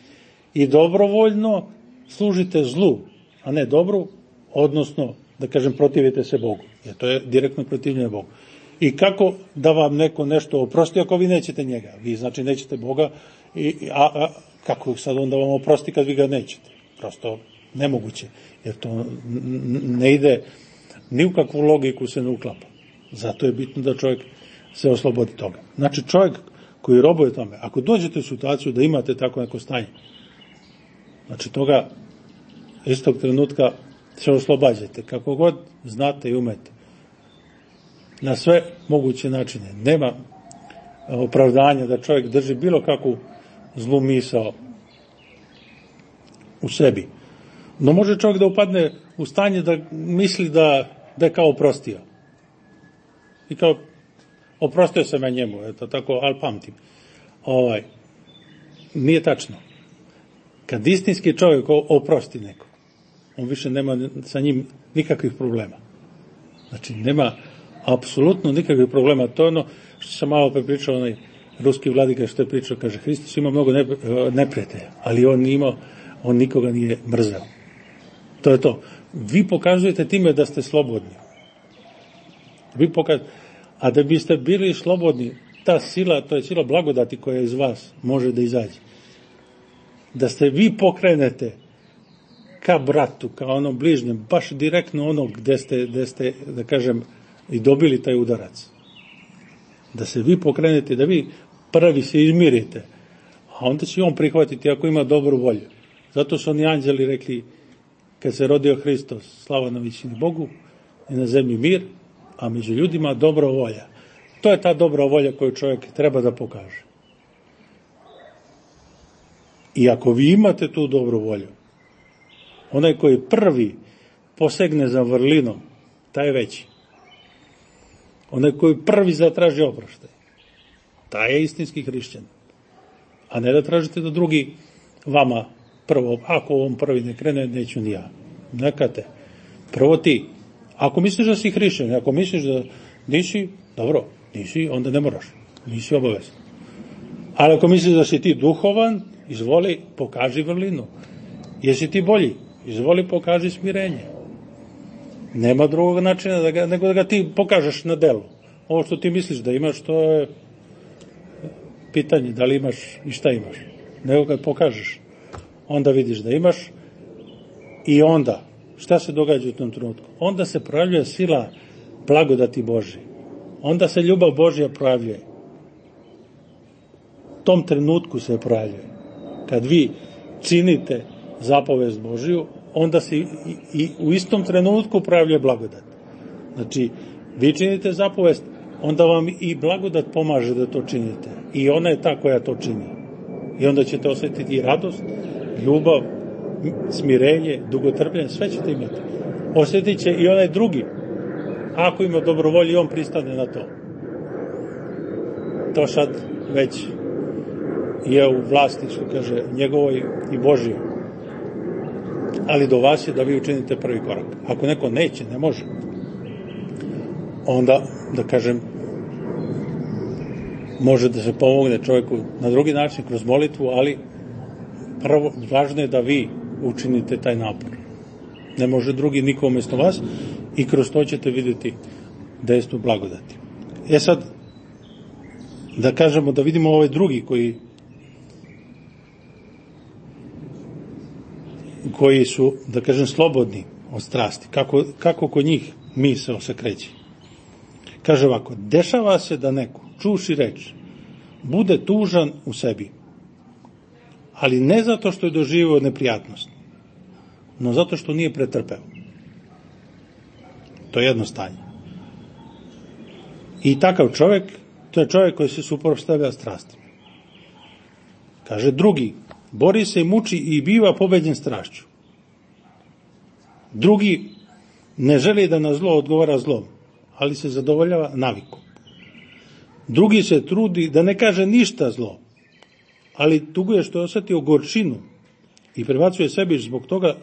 I dobrovoljno služite zlu. a ne dobru, odnosno, da kažem, protivite se Bogu. Jer to je direktno protivljenje Bogu. I kako da vam neko nešto oprosti ako vi nećete njega? Vi znači nećete Boga, a kako sad onda vam oprosti kad vi ga nećete? Prosto nemoguće, jer to ne ide, ni u kakvu logiku se ne uklapa. Zato je bitno da čovjek se oslobodi toga. Znači čovjek koji robuje tome, ako dođete u situaciju da imate tako neko stanje, znači toga istog trenutka se oslobađajte, kako god znate i umete. Na sve moguće načine. Nema opravdanja da čovjek drži bilo kakvu zlu misao u sebi. No može čovjek da upadne u stanje da misli da je kao oprostio. I kao, oprostio sam ja njemu, eto tako, ali pamtim. Nije tačno. Kad istinski čovjek oprosti neko, on više nema sa njim nikakvih problema. Znači, nema apsolutno nikakvih problema. To je ono što sam malo prepričao, onaj ruski vladika što je pričao, kaže, Hristos ima mnogo neprijatelja, ali on nikoga nije mrzeo. To je to. Vi pokazujete time da ste slobodni. A da biste bili slobodni, ta sila, to je sila blagodati koja iz vas može da izađe. Da ste vi pokrenete ka bratu, ka onom bližnjem, baš direktno ono gde ste, da kažem, i dobili taj udarac. Da se vi pokrenete, da vi prvi se izmirite, a onda će on prihvatiti ako ima dobru volju. Zato su oni anđeli rekli, kad se rodio Hristos, slava na višini Bogu i na zemlji mir, a među ljudima dobra volja. To je ta dobra volja koju čovjek treba da pokaže. I ako vi imate tu dobru volju, onaj koji prvi posegne za vrlinom, taj je veći. Onaj koji prvi zatraži oproštaj, taj je istinski hrišćan. A ne da tražite da drugi vama prvo, ako on prvi ne krene, neću ni ja. Neka te. Prvo ti. Ako misliš da si hrišćan, ako misliš da nisi, dobro, nisi, onda ne moraš. Nisi obavezan. Ali ako misliš da si ti duhovan, izvoli, pokaži vrlinu. Jesi ti bolji? Izvoli, pokaži smirenje. Nema drugog načina nego da ga ti pokažeš na delu. Ovo što ti misliš da imaš, to je pitanje da li imaš i šta imaš. Nego kad pokažeš, onda vidiš da imaš i onda, šta se događa u tom trenutku? Onda se projavljuje sila blagodati Božje. Onda se ljubav Božja projavljuje. U tom trenutku se projavljuje. Kad vi činite zapovest Božju, onda se i u istom trenutku projavljuje blagodat. Znači, vi činite zapovest, onda vam i blagodat pomaže da to činite. I ona je ta koja to čini. I onda ćete osjetiti i radost, ljubav, smirenje, dugotrpljenje, sve ćete imati. Osjetit će i onaj drugi. Ako ima dobrovolju, on pristane na to. To sad već je u vlasti, što kaže, njegovoj i Božjoj. Ali do vas je da vi učinite prvi korak. Ako neko neće, ne može, onda, da kažem, može da se pomogne čovjeku na drugi način, kroz molitvu, ali prvo, važno je da vi učinite taj napor. Ne može drugi niko umjesto vas i kroz to ćete vidjeti dejstvo blagodati. Sad, da kažemo, da vidimo ovaj drugi koji su, da kažem, slobodni od strasti. Kako kod njih misao se kreće. Kaže ovako, dešava se da neko, čuvši reč, bude tužan u sebi, ali ne zato što je doživio neprijatnost, no zato što nije pretrpeo. To je jedno stanje. I takav čovjek, to je čovjek koji se suprotstavlja strastima. Kaže drugi, bori se i muči i biva pobeđen strašću. Drugi ne želi da na zlo odgovara zlom, ali se zadovoljava navikom. Drugi se trudi da ne kaže ništa zlo, ali tuguje što je osjetio gorčinu i prebacuje sebi zbog toga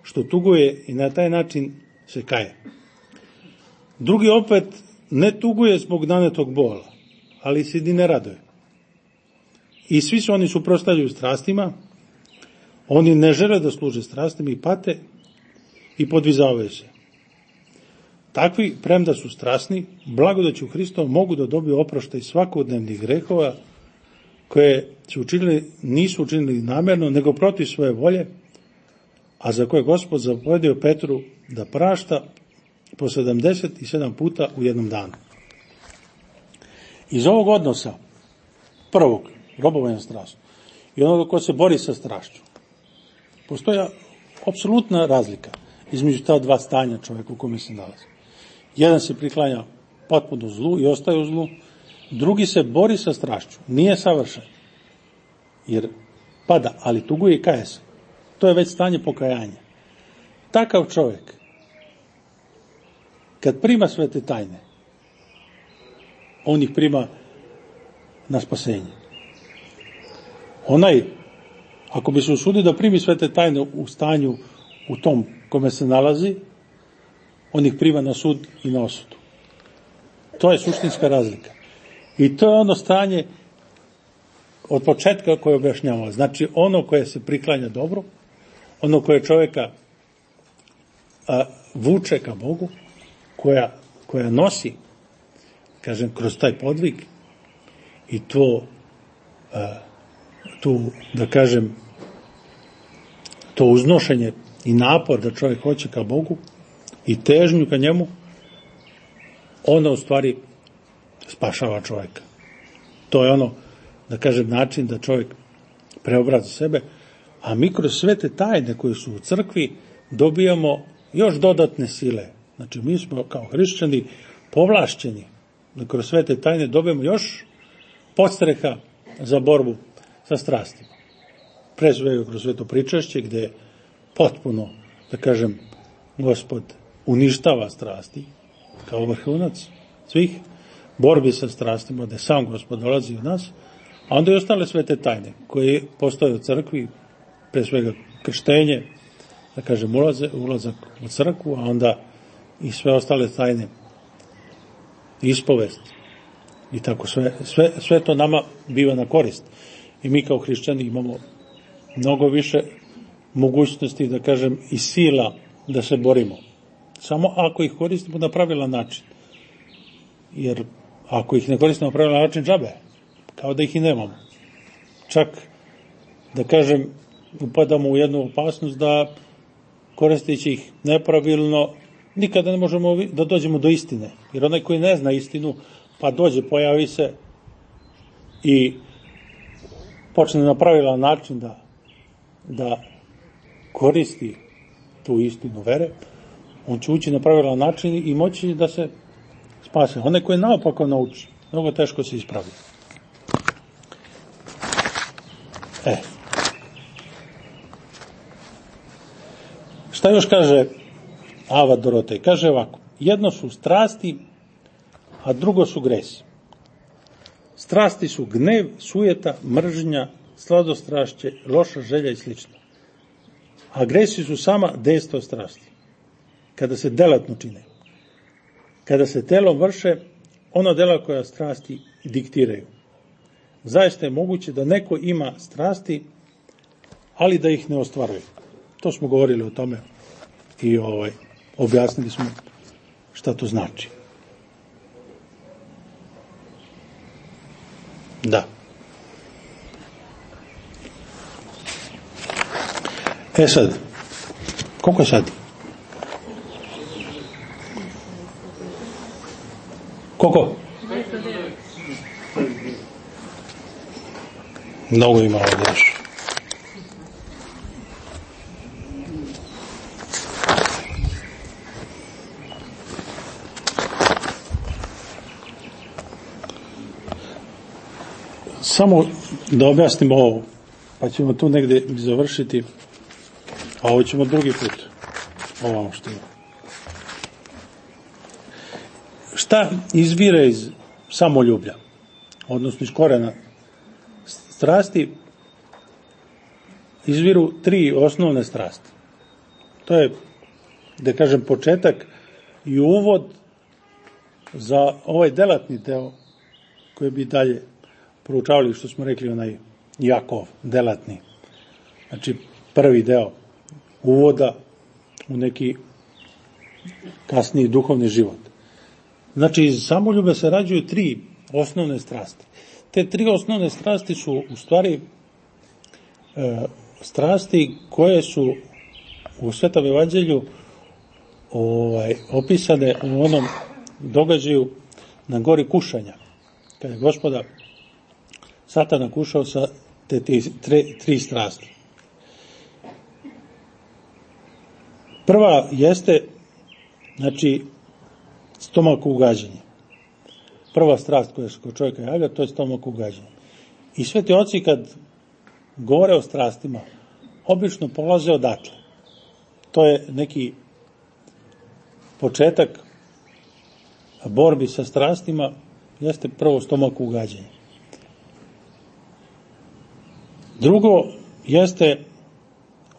što tuguje i na taj način se kaje. Drugi opet ne tuguje zbog nanetog bola, ali se ni ne raduje. I svi su oni suprotstavljaju strastima, oni ne žele da služe strastima i pate, i podvizavaju se. Takvi, premda su strasni, blagodaću Hristovom mogu da dobiju oproštaj svakodnevnih grehova koje nisu učinili namjerno, nego protiv svoje volje, a za koje Gospod zapovedio Petru da prašta po 77 puta u jednom danu. Iz ovog odnosa, prvog, robovanja strašću, i onoga ko se bori sa strašću, postoja apsolutna razlika između ta dva stanja čovjeka u kome se nalazi. Jedan se priklanja potpuno zlu i ostaje u zlu, drugi se bori sa strašću, nije savršen, jer pada, ali tuguje i kaje se. To je već stanje pokajanja. Takav čovjek, kad prima svete tajne, on ih prima na spasenje. Onaj, ako bi se usudio da primi svete tajne u stanju u tom kome se nalazi, on ih prima na sud i na osudu. To je suštinska razlika. I to je ono stanje od početka koje objašnjavamo. Znači, ono koje se priklanja dobro, ono koje čovjeka vuče ka Bogu, koja nosi, kažem, kroz taj podvig i to uznošenje i napor da čovjek hoće ka Bogu i težnju ka njemu, ono u stvari spašava čovjeka. To je ono, da kažem, način da čovjek preobrazi sebe, a mi kroz sve te tajne koje su u crkvi dobijamo još dodatne sile. Znači, mi smo kao hrišćani povlašćeni da kroz sve te tajne dobijemo još podstreha za borbu sa strastima. Pre svega kroz sveto pričašće, gde je potpuno, da kažem, Gospod uništava strasti kao vrhunac svih borbi sa strastima, da sam Gospod dolazi u nas, a onda i ostale svete tajne koje postoje u crkvi, pre svega krštenje, da kažem, ulazak u crkvu, a onda i sve ostale tajne, ispovest i tako sve to nama biva na korist. I mi kao hrišćani imamo mnogo više mogućnosti, da kažem, i sila da se borimo. Samo ako ih koristimo na pravilan način. Jer ako ih ne koristimo na pravilan način, džabe, kao da ih i nemamo. Čak, da kažem, upadamo u jednu opasnost da koristeći ih nepravilno nikada ne možemo da dođemo do istine. Jer onaj koji ne zna istinu, pa dođe, pojavi se i počne na pravilan način da koristi tu istinu vere, on će ući na pravilan način i moći da se spase. Onaj koji naopako nauči, mnogo teško se ispravi. Šta još kaže Ava Dorotej? Kaže ovako: jedno su strasti, a drugo su gresi. Strasti su gnev, sujeta, mržnja, sladostrašće, loša želja i slično. A gresi su sama dejstvo strasti, kada se delatno čine. Kada se telom vrše ona dela koja strasti diktiraju. Zaista je moguće da neko ima strasti, ali da ih ne ostvaruje. To smo govorili o tome i objasnili smo šta to znači. Da. Sad, koliko je sad? Koliko? Mnogo ima ovdje još. Samo da objasnimo ovo, pa ćemo tu negdje završiti, a ovo ćemo drugi put. Ovo što je. Šta izvire iz samoljublja, odnosno iz korena strasti? Izviru 3 osnovne strasti. To je, da kažem, početak i uvod za ovaj delatni deo koji bi dalje proučavali, što smo rekli, onaj Jakov, delatni. Znači, prvi deo uvoda u neki kasniji duhovni život. Znači, iz samoljube se rađuju 3 osnovne strasti. Te 3 osnovne strasti su u stvari strasti koje su u Svetom evanđelju opisane u onom događaju na gori kušanja, kada je Gospoda Satana kušao sa te 3 strasti. Prva jeste, znači, stomak ugađanja. Prva strast koja se kod čovjeka javlja, to je stomak ugađanja. I sveti oci kad govore o strastima, obično polaze odatle. To je neki početak borbi sa strastima, jeste prvo stomak ugađanja. Drugo jeste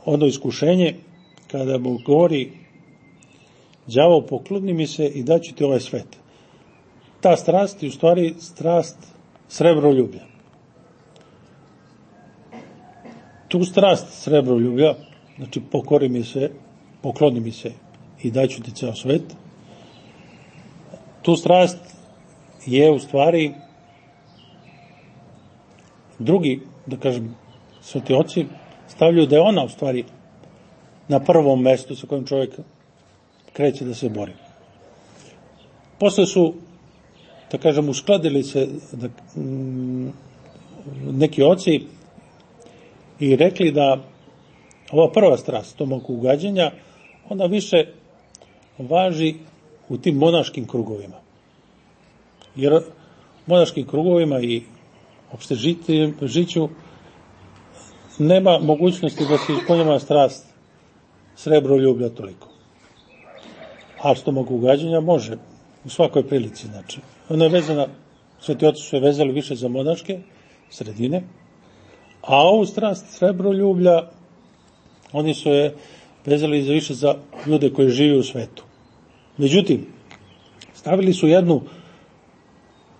ono iskušenje kada mu govori đavo pokloni mi se i daću ti ovaj svet. Ta strast je u stvari strast srebroljublja. Tu strast srebroljublja, znači pokori mi se, pokloni mi se i daću ti ceo svet, tu strast je u stvari drugi, da kažem, sveti oci stavljaju da je ona u stvari na prvom mestu sa kojim čovjek kreće da se bori. Posle su, da kažem, uskladili se neki oci i rekli da ova prva strast, stomak ugađanja, ona više važi u tim monaškim krugovima. Jer u monaškim krugovima i opšte žiću nema mogućnosti da se ispunjava strast srebroljublja toliko. A stomak ugađanja može u svakoj prilici. Znači, ona je vezana, sveti oci su je vezali više za monaške sredine, a ovu strast srebroljublja oni su je vezali više za ljude koji žive u svetu. Međutim, stavili su jednu,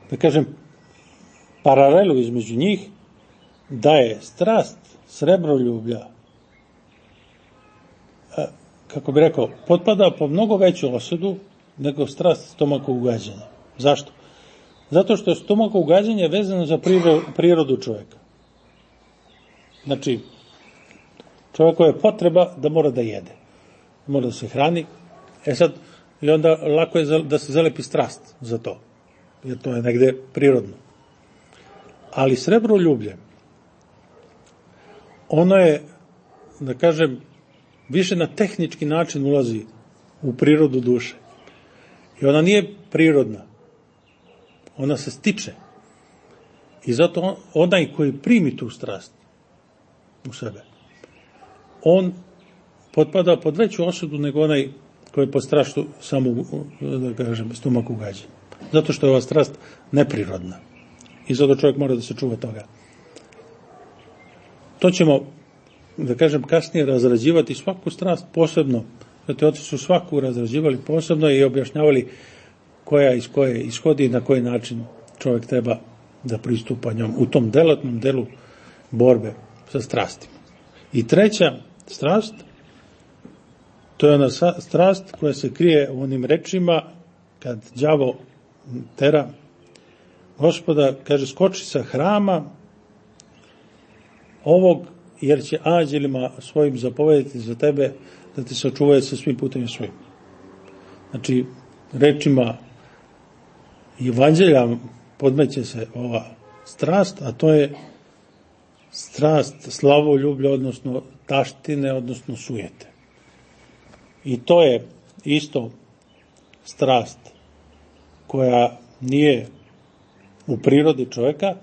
da kažem, paralelu između njih, da je strast srebroljublja, kako bi rekao, potpada po mnogo veću osudu nego strast stomaka ugađanja. Zašto? Zato što je stomaka ugađanje vezano za prirodu čovjeka. Znači, čovjeku je potreba da mora da jede, mora da se hrani. Sad, i onda lako je da se zalepi strast za to, jer to je negde prirodno. Ali srebroljublje, ono je, da kažem, više na tehnički način ulazi u prirodu duše. I ona nije prirodna. Ona se stiče. I zato onaj koji primi tu strast u sebe, on potpada pod veću osudu nego onaj koji je pod straštu samo, da kažem, stomak ugađanja. Zato što je ova strast neprirodna. I zato čovjek mora da se čuva toga. To ćemo, da kažem, kasnije razrađivati svaku strast posebno. Sveti oci su svaku razrađivali posebno i objašnjavali koja iz koje ishodi i na koji način čovjek treba da pristupa njom u tom delatnom delu borbe sa strastima. I treća strast, to je ona strast koja se krije u onim rečima kad đavo tera Gospoda, kaže, skoči sa hrama ovog, jer će anđelima svojim zapovedati za tebe da te sačuvaju sa svim putem svojim. Znači, rečima evanđelja podmeće se ova strast, a to je strast slavoljublja, odnosno taštine, odnosno sujete. I to je isto strast koja nije u prirodi čovjeka,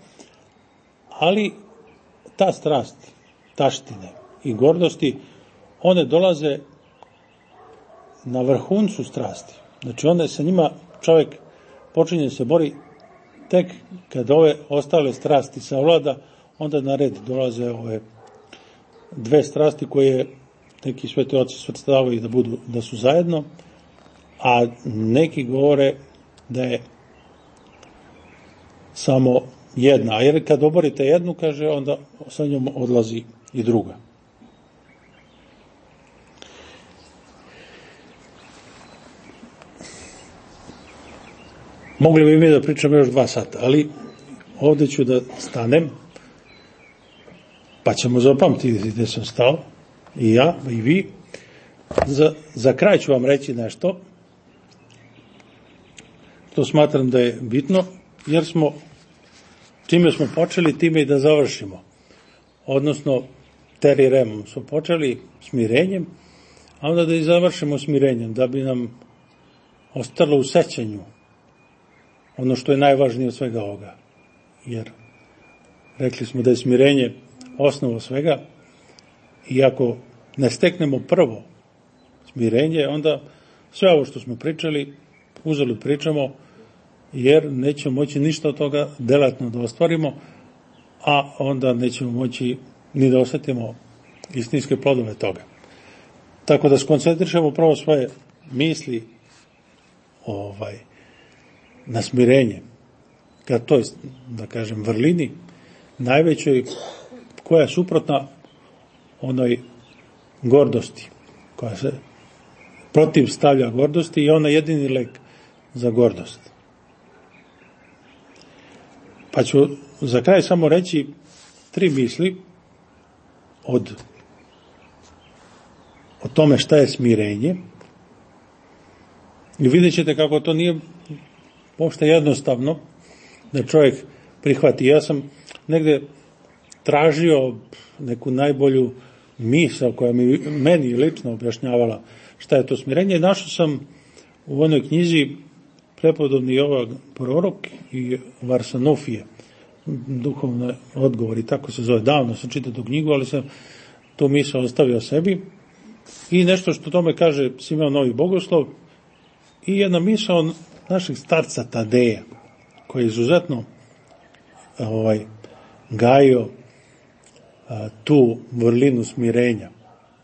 ali ta strast, taštine i gordosti, one dolaze na vrhuncu strasti. Znači, onda sa njima čovjek počinje se bori tek kad ove ostale strasti savlada, onda na red dolaze ove dve strasti koje neki sveti oci svrstavaju da su zajedno, a neki govore da je samo jedna. A jer kad oborite jednu, kaže, onda sa njom odlazi i druga. Mogli bi mi da pričamo još 2 sata, ali ovde ću da stanem, pa ćemo zapamtiti gde sam stao, i ja, i vi. Za kraj ću vam reći nešto, što smatram da je bitno, jer čime smo počeli, time i da završimo. Odnosno, Terry Remom smo počeli smirenjem, a onda da i završimo smirenjem, da bi nam ostalo u sećanju ono što je najvažnije od svega ovoga. Jer rekli smo da je smirenje osnova svega, i ako ne steknemo prvo smirenje, onda sve ovo što smo pričali, uzeli pričamo, jer nećemo moći ništa od toga delatno da ostvarimo, a onda nećemo moći ni da osetimo istinske plodove toga. Tako da skoncentrišemo prvo svoje misli na smirenje, ka toj, da kažem, vrlini najvećoj, koja je suprotna onoj gordosti, koja se protivstavlja gordosti, i ona jedini lek za gordost. Pa ću za kraj samo reći 3 misli o tome šta je smirenje, i vidjet ćete kako to nije uopšte jednostavno da čovjek prihvati. Ja sam negde tražio neku najbolju misao koja meni lično objašnjavala šta je to smirenje, i našao sam u onoj knjizi Prepodobni Jovan prorok i Varsanofije, duhovni odgovori, tako se zove. Davno sam čitao tu knjigu, ali sam tu misao ostavio sebi, i nešto što tome kaže Simeon Novi Bogoslov, i jedna misao našeg starca Tadeja, koji je izuzetno gajio tu vrlinu smirenja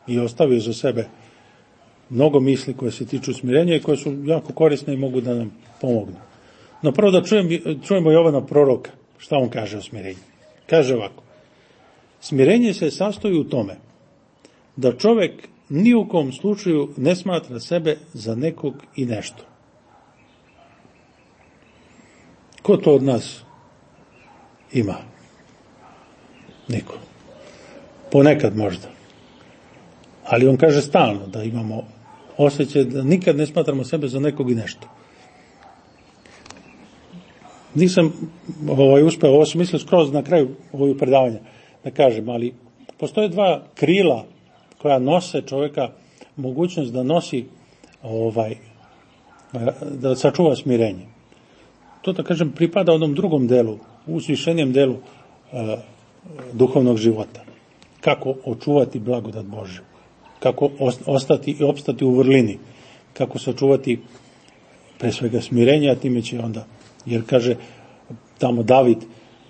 i ostavio za sebe mnogo misli koje se tiču smirenja i koje su jako korisne i mogu da nam pomognu. No prvo da čujemo Jovana proroka, šta on kaže o smirenju. Kaže ovako: smirenje se sastoji u tome da čovek ni u kom slučaju ne smatra sebe za nekog i nešto. Ko to od nas ima? Niko. Ponekad možda. Ali on kaže stalno da imamo osjećaj da nikad ne smatramo sebe za nekog i nešto. Nisam uspeo, ovo sam mislio skroz na kraju ovog predavanja da kažem, ali postoje 2 krila koja nose čovjeka mogućnost da nosi da sačuva smirenje. To, da kažem, pripada onom drugom delu, uzvišenijem delu duhovnog života. Kako očuvati blagodat Božju, kako ostati i opstati u vrlini, kako sačuvati pre svega smirenja, a time će onda, jer kaže tamo David,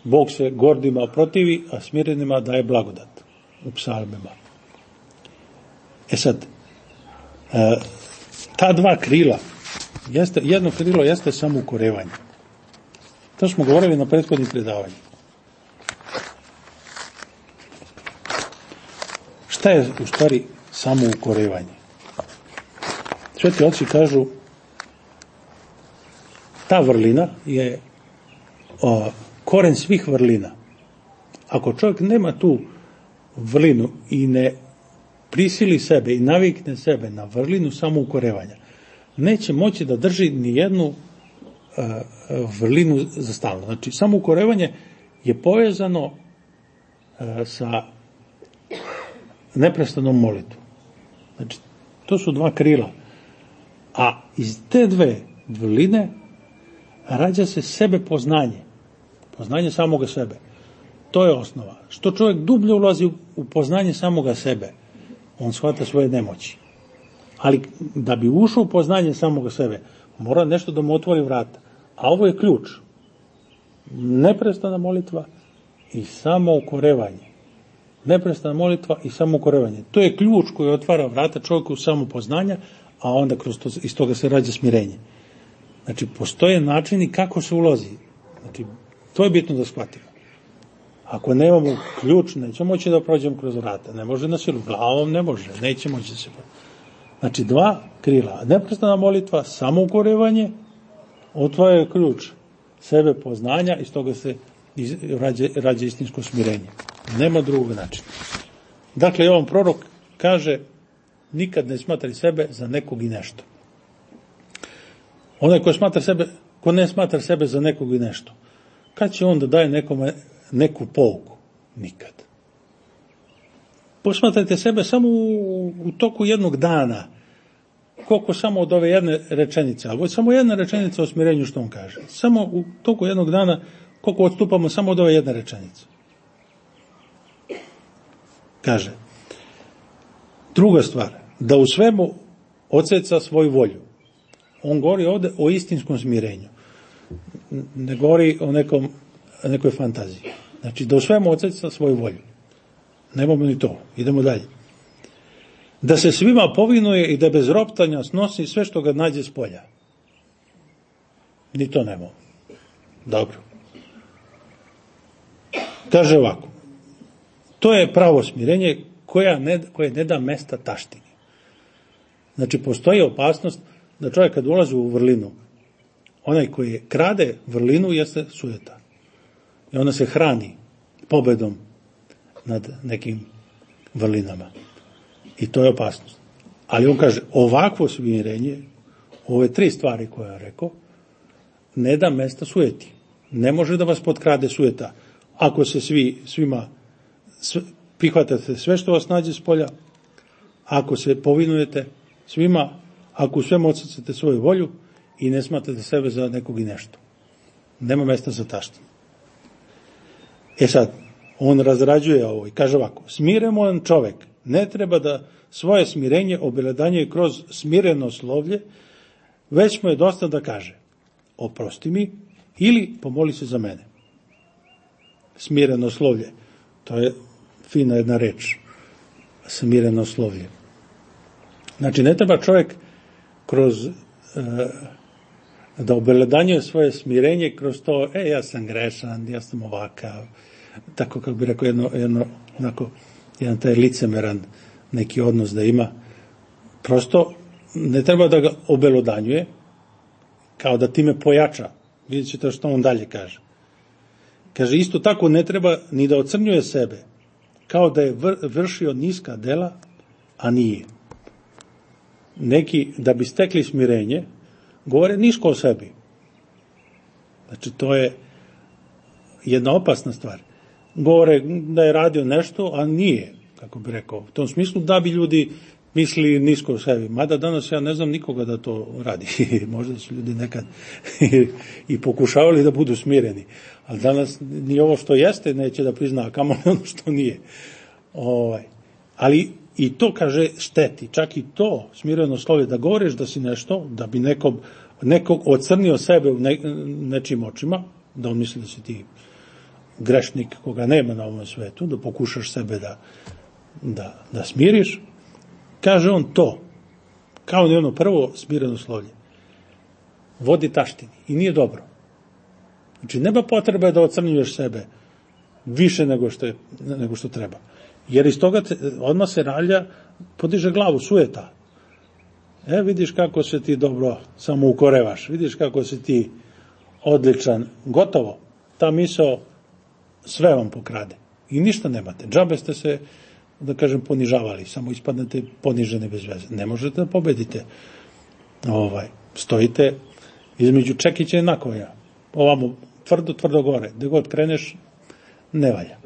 Bog se gordima protivi, a smirenima daje blagodat, u psalmima. Sad, ta 2 krila, jedno krilo jeste samoukorevanje. To smo govorili na prethodnim predavanjima. Šta je u stvari samoukorevanje? Sveti oci kažu, ta vrlina je koren svih vrlina. Ako čovjek nema tu vrlinu i ne prisili sebe i navikne sebe na vrlinu samoukorevanja, neće moći da drži ni jednu vrlinu za stalno. Znači, samoukorevanje je povezano sa neprestanom molitvom. Znači, to su 2 krila. A iz te 2 vrline rađa se sebe poznanje. Poznanje samoga sebe. To je osnova. Što čovjek dublje ulazi u poznanje samoga sebe, on shvata svoje nemoći. Ali da bi ušao u poznanje samoga sebe, mora nešto da mu otvori vrata. A ovo je ključ. Neprestana molitva i samoukorevanje. Neprestana molitva i samoukorevanje. To je ključ koji otvara vrata čovjeku samopoznanja, a onda iz toga se rađa smirenje. Znači, postoje načini kako se ulazi. Znači, to je bitno da shvatimo. Ako nemamo ključ, nećemo moći da prođemo kroz vrata. Ne može na silu, glavom ne može, neće moći da se prođe. Znači, 2 krila. Neprestana molitva, samoukorevanje otvara ključ sebe poznanja i stoga se rađa istinsko smirenje. Nema drugog načina. Dakle, ovom prorok kaže, nikad ne smatri sebe za nekog i nešto. Onaj ko ne smatra sebe za nekog i nešto, kad će on da daje nekome neku pouku? Nikad. Posmatrajte sebe samo u toku jednog dana, koliko samo od ove jedne rečenice, ali samo jedna rečenica o smirenju što on kaže. Samo u toku jednog dana, koliko odstupamo samo od ove jedne rečenice. Kaže, druga stvar, da u svemu odseca svoju volju. On govori ovdje o istinskom smirenju. Ne govori o nekoj fantaziji. Znači, da u svemu odseca svoju volju. Nemamo ni to. Idemo dalje. Da se svima povinuje i da bez roptanja snosi sve što ga nađe s polja. Ni to nemamo. Dobro. Kaže ovako. To je pravo smirenje koje ne da mesta taštini. Znači, postoji opasnost da čovjek kad ulazi u vrlinu, onaj koji krade vrlinu jeste sujeta. I ona se hrani pobedom nad nekim vrlinama. I to je opasnost. Ali on kaže, ovakvo smirenje, ove 3 stvari koje je rekao, ne da mesta sujeti. Ne može da vas potkrade sujeta. Ako se svima prihvatate sve što vas nađe s polja, ako se povinujete svima, ako u svemu odsecate svoju volju i ne smatrate sebe za nekog i nešto. Nema mesta za taštinu. Sad, on razrađuje ovo i kaže ovako, smiremodan čovjek ne treba da svoje smirenje obelodanjuje kroz smireno slovlje, već mu je dosta da kaže, oprosti mi ili pomoli se za mene. Smireno slovlje, to je fina jedna reč, smireno slovlje. Znači, ne treba čovjek kroz da obelodanjuje svoje smirenje kroz to, ja sam grešan, ja sam ovakav, tako kako bi rekao jedan taj licemeran neki odnos da ima. Prosto ne treba da ga obelodanjuje, kao da time pojača. Vidjet ćete što on dalje kaže. Kaže, isto tako ne treba ni da ocrnjuje sebe, kao da je vršio niska dela, a nije. Neki, da bi stekli smirenje, govore nisko o sebi. Znači, to je jedna opasna stvar. Govore da je radio nešto, a nije, kako bi rekao. U tom smislu da bi ljudi mislili nisko o sebi. Mada danas ja ne znam nikoga da to radi. Možda su ljudi nekad i pokušavali da budu smireni. Ali danas ni ovo što jeste neće da prizna, a kamoli ono što nije. Ali i to, kaže, šteti. Čak i to smireno slovje, da govoriš da si nešto, da bi nekog ocrnio sebe u nečim očima, da on misli da si ti grešnik koga nema na ovom svetu, da pokušaš sebe da smiriš, kaže on to, kao ni ono prvo smireno slovlje, vodi taštini i nije dobro. Znači, nema potrebe da ocrnjuješ sebe više nego što treba. Jer iz toga odmah se ralja, podiže glavu, sujeta. Vidiš kako se ti dobro samo ukorevaš, vidiš kako si ti odličan, gotovo. Ta misao sve vam pokrade. I ništa nemate. Džabe ste se, da kažem, ponižavali, samo ispadnete poniženi bez veze. Ne možete da pobedite. Stojite između čekića i nakovnja. Ovamo tvrdo gore. Gde god kreneš, ne valja.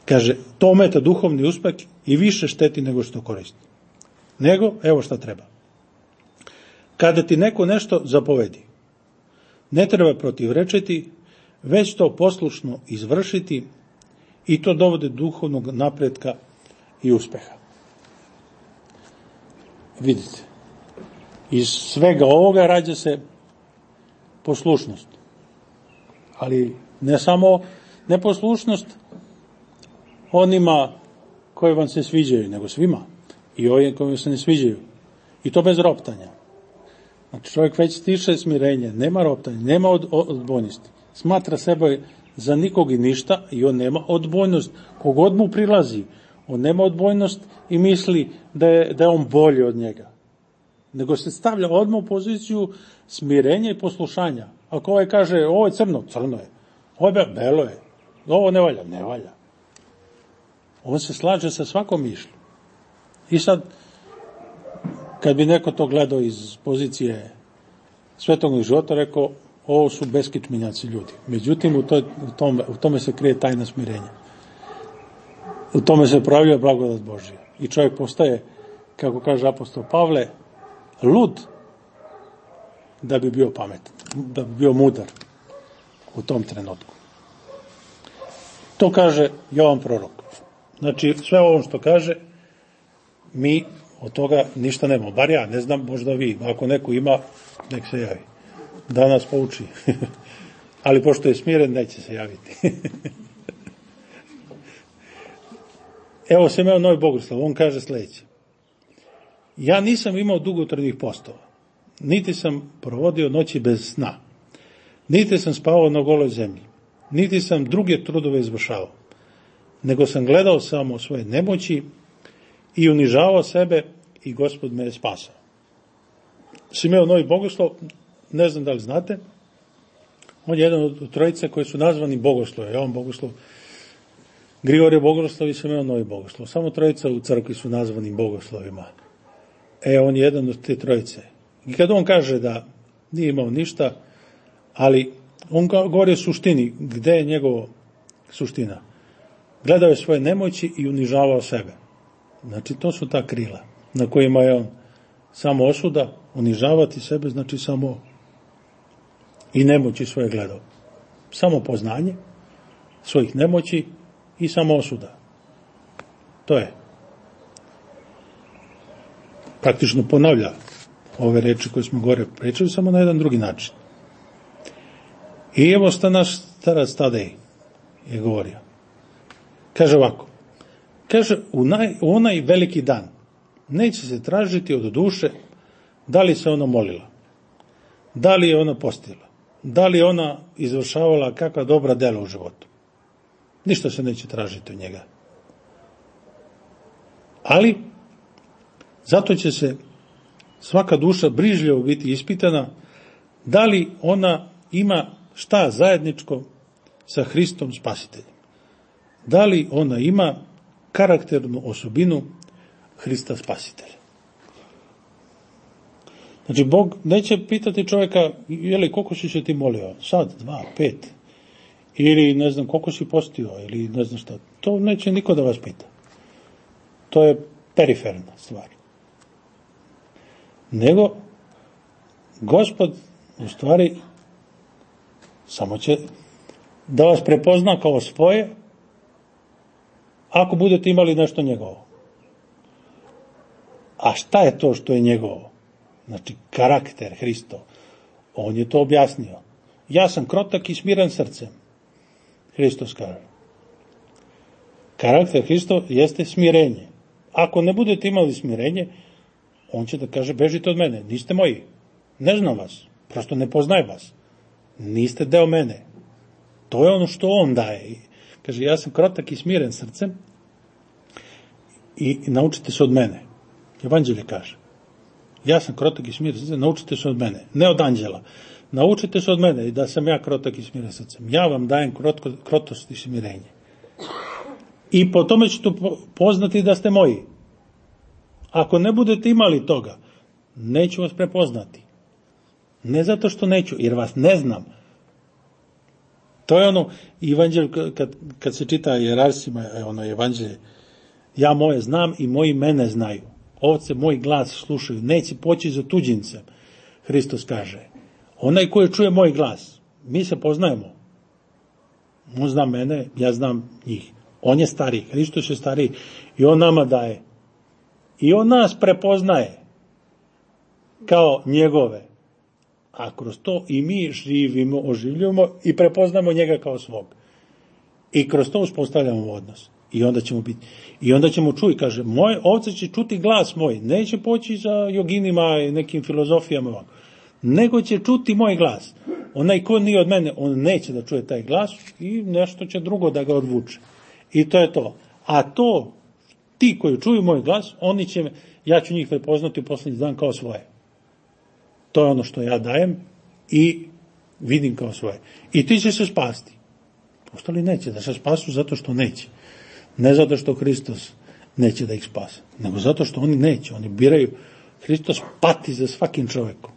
Kaže, to ometa duhovni uspeh i više šteti nego što koristi. Nego, evo šta treba. Kada ti neko nešto zapovedi, ne treba protivrečiti, već to poslušno izvršiti i to dovode duhovnog napretka i uspeha. Vidite, iz svega ovoga rađa se poslušnost. Ali ne samo neposlušnost onima koji vam se sviđaju, nego svima. I ovim koji se ne sviđaju. I to bez roptanja. Znači, čovjek već stiče smirenje, nema roptanja, nema odbojnosti. Smatra sebe za nikog i ništa i on nema odbojnost. Kogod mu prilazi, on nema odbojnost i misli da je on bolji od njega. nego se stavlja odmah u poziciju smirenja i poslušanja. Ako ovaj kaže, ovo je crno, crno je. Ovo je belo je. Ovo ne valja, ne valja. On se slaže sa svakom mišlju. I sad, kad bi neko to gledao iz pozicije svetovnog života, rekao, ovo su beskičmenjaci ljudi. Međutim, u tome se krije tajna smirenja. U tome se pravlja blagodat Božja. I čovjek postaje, kako kaže apostol Pavle, lud da bi bio pametan, da bi bio mudar u tom trenutku. To kaže Jovan prorok. Znači, sve ovo što kaže, mi od toga ništa nemamo. Bar ja, ne znam, možda vi. Ako neko ima, nek se javi. Da nas pouči. Ali pošto je smiren, neće se javiti. Evo sam imao Novi Bogoslov, on kaže sljedeće. Ja nisam imao dugotrajnih postova, niti sam provodio noći bez sna, niti sam spavao na goloj zemlji, niti sam druge trudove izvršavao, nego sam gledao samo svoje nemoći i unižavao sebe i Gospod me je spasao. Simeon Novi Bogoslov, ne znam da li znate, on je jedan od trojice koji su nazvani Bogoslove. Jovan Bogoslov, Grigorije Bogoslov i Simeon Novi Bogoslov. Samo trojica u crkvi su nazvani Bogoslovima. On je jedan od te trojice. I kad on kaže da nije imao ništa, ali on govori o suštini. Gde je njegova suština? Gledao je svoje nemoći i unižavao sebe. Znači, to su ta krila na kojima je on samo osuda, unižavati sebe, znači samo i nemoći svoje gledao. Samo poznanje svojih nemoći i samo osuda. To je. Praktično ponavlja ove reči koje smo gore pričali, samo na jedan drugi način. I evo šta naš starac Tadej je govorio. Kaže ovako. Kaže, u onaj veliki dan neće se tražiti od duše da li se ona molila, da li je ona postila, da li je ona izvršavala kakva dobra dela u životu. Ništa se neće tražiti od njega. Ali, zato će se svaka duša brižljivo biti ispitana da li ona ima šta zajedničko sa Hristom Spasiteljem. Da li ona ima karakternu osobinu Hrista Spasitelja. Znači, Bog neće pitati čovjeka, koliko si se ti molio? Sad, 2, 5. Ili, ne znam, koliko si postio, ili ne znam šta. To neće niko da vas pita. To je periferna stvar. Nego, Gospod, u stvari, samo će da vas prepozna kao svoje, ako budete imali nešto njegovo. A šta je to što je njegovo? Znači, karakter Hristov. On je to objasnio. Ja sam krotak i smiren srcem. Hristos kaže. Karakter Hristov jeste smirenje. Ako ne budete imali smirenje, on će da kaže, bežite od mene, niste moji. Ne znam vas, prosto ne poznajem vas. Niste deo mene. To je ono što on daje. Kaže, ja sam krotak i smiren srcem i naučite se od mene. Evanđelje kaže. Ja sam krotak i smiren srcem, naučite se od mene. Ne od anđela. Naučite se od mene da sam ja krotak i smiren srcem. Ja vam dajem krotost i smirenje. I po tome ćete poznati da ste moji. Ako ne budete imali toga, neću vas prepoznati. Ne zato što neću, jer vas ne znam. To je ono evanđelje, kad se čita jerarsima, ono evanđelje, ja moje znam i moji mene znaju. Ovce moj glas slušaju, neće poći za tuđincem. Hristos kaže, onaj koji čuje moj glas, mi se poznajemo. On zna mene, ja znam njih. On je stariji, Hristos je stariji i on nama daje. I on nas prepoznaje kao njegove. A kroz to i mi živimo, oživljujemo i prepoznamo njega kao svog. I kroz to uspostavljamo odnos. I onda ćemo čuti, kaže, moje ovce će čuti glas moj, neće poći za joginima i nekim filozofijama, nego će čuti moj glas. Onaj ko nije od mene, on neće da čuje taj glas i nešto će drugo da ga odvuče. I to je to. A to, ti koji čuju moj glas, ja ću njih prepoznati u posljednji dan kao svoje. to je ono što ja dajem i vidim kao svoje. I ti će se spasti. Ostali neće da se spasu zato što neće. Ne zato što Hristos neće da ih spase, nego zato što oni neće. Oni biraju. Hristos pati za svakim čovekom.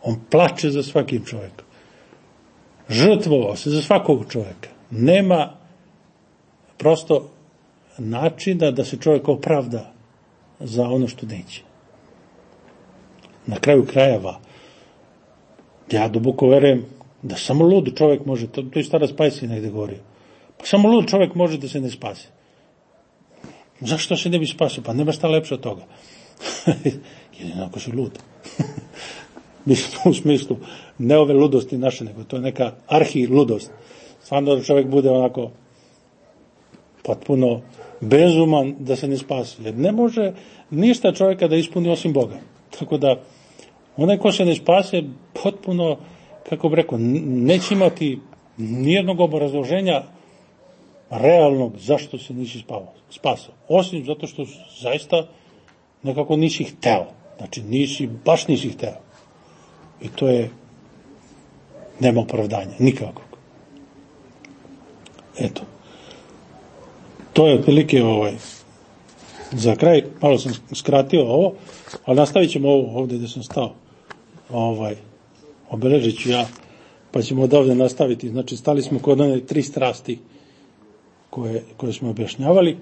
On plače za svakim čovekom. Žrtvovao se za svakog čoveka. Nema prosto načina da se čovjek opravda za ono što neće. Na kraju krajeva, ja duboko verujem da samo lud čovjek može, to i Stara Spajsi negde govorio, pa samo lud čovjek može da se ne spasi. Zašto se ne bi spasio? Pa nema šta lepše od toga. Jedino ako si lud. Mislim u smislu, ne ove ludosti naše, nego to je neka arhi-ludost. Stvarno da čovjek bude onako potpuno bezuman da se ne spasi. Jer ne može ništa čovjeka da ispuni osim Boga. Tako da, onaj ko se ne spase, potpuno, kako bi rekao, neće imati nijednog obrazloženja realnog zašto se nisi spasao. Osim zato što zaista nekako nisi hteo. Znači, baš nisi hteo. I to je, nema opravdanja, nikakvog. Eto. To je otprilike za kraj, malo sam skratio ovo, ali nastavit ćemo ovo ovdje gdje sam stao. Obeležit ću ja, pa ćemo od ovdje nastaviti. Znači, stali smo kod one 3 strasti koje smo objašnjavali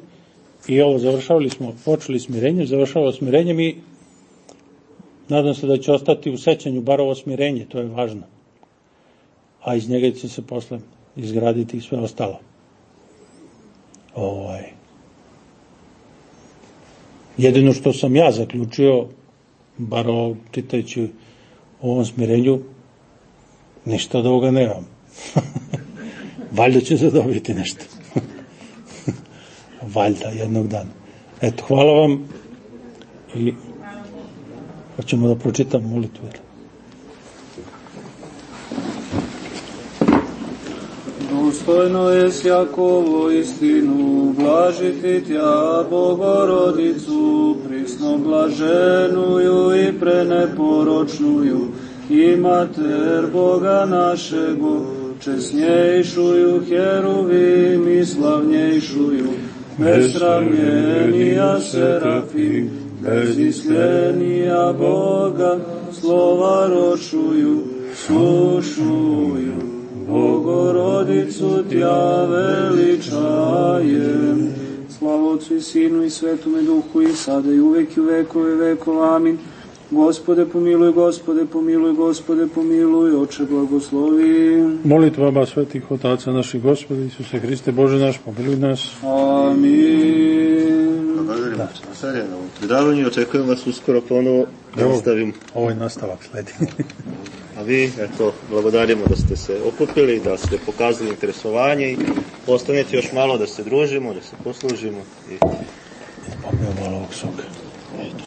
i ovo završavali smo, počeli smirenjem, završavali smirenjem i nadam se da će ostati u sećanju bar ovo smirenje, to je važno. A iz njega će se posle izgraditi i sve ostalo. Jedino što sam ja zaključio, bar čitajući o ovom smirenju, ništa od ovoga nemam. Valjda će zadobiti nešto. Valjda, jednog dana. Eto, hvala vam i hoćemo da pročitam molitvu. Dostojno je Jakovo istinu, blažiti tja Bogorodicu, prisno blaženuju i preneporočnuju, i mater Boga našego, česnjejšuju heruvim i slavnjejšuju, besramljenija serafim, beziskrenija Boga, slova ročuju, slušuju. Bogorodicu tja veličajem. Slava Otcu i Sinu i Svetome Duhu i sada i uvek i u vekove vekova. Amin. Gospode pomiluj, Gospode pomiluj, Gospode pomiluj, Oče blagoslovi. Molitvama svetih otaca naših Gospode Isuse Hriste Bože naš, pomiluj nas. Amin. Благодарим Царя на предаvanju, očekujem vas uskoro ponovo da nastavim. Ovo je nastavak sledi. A vi, eto, blagodarimo da ste se okupili, da ste pokazali interesovanje i ostanete još malo da se družimo, da se poslužimo. Popijemo malo ovog soka.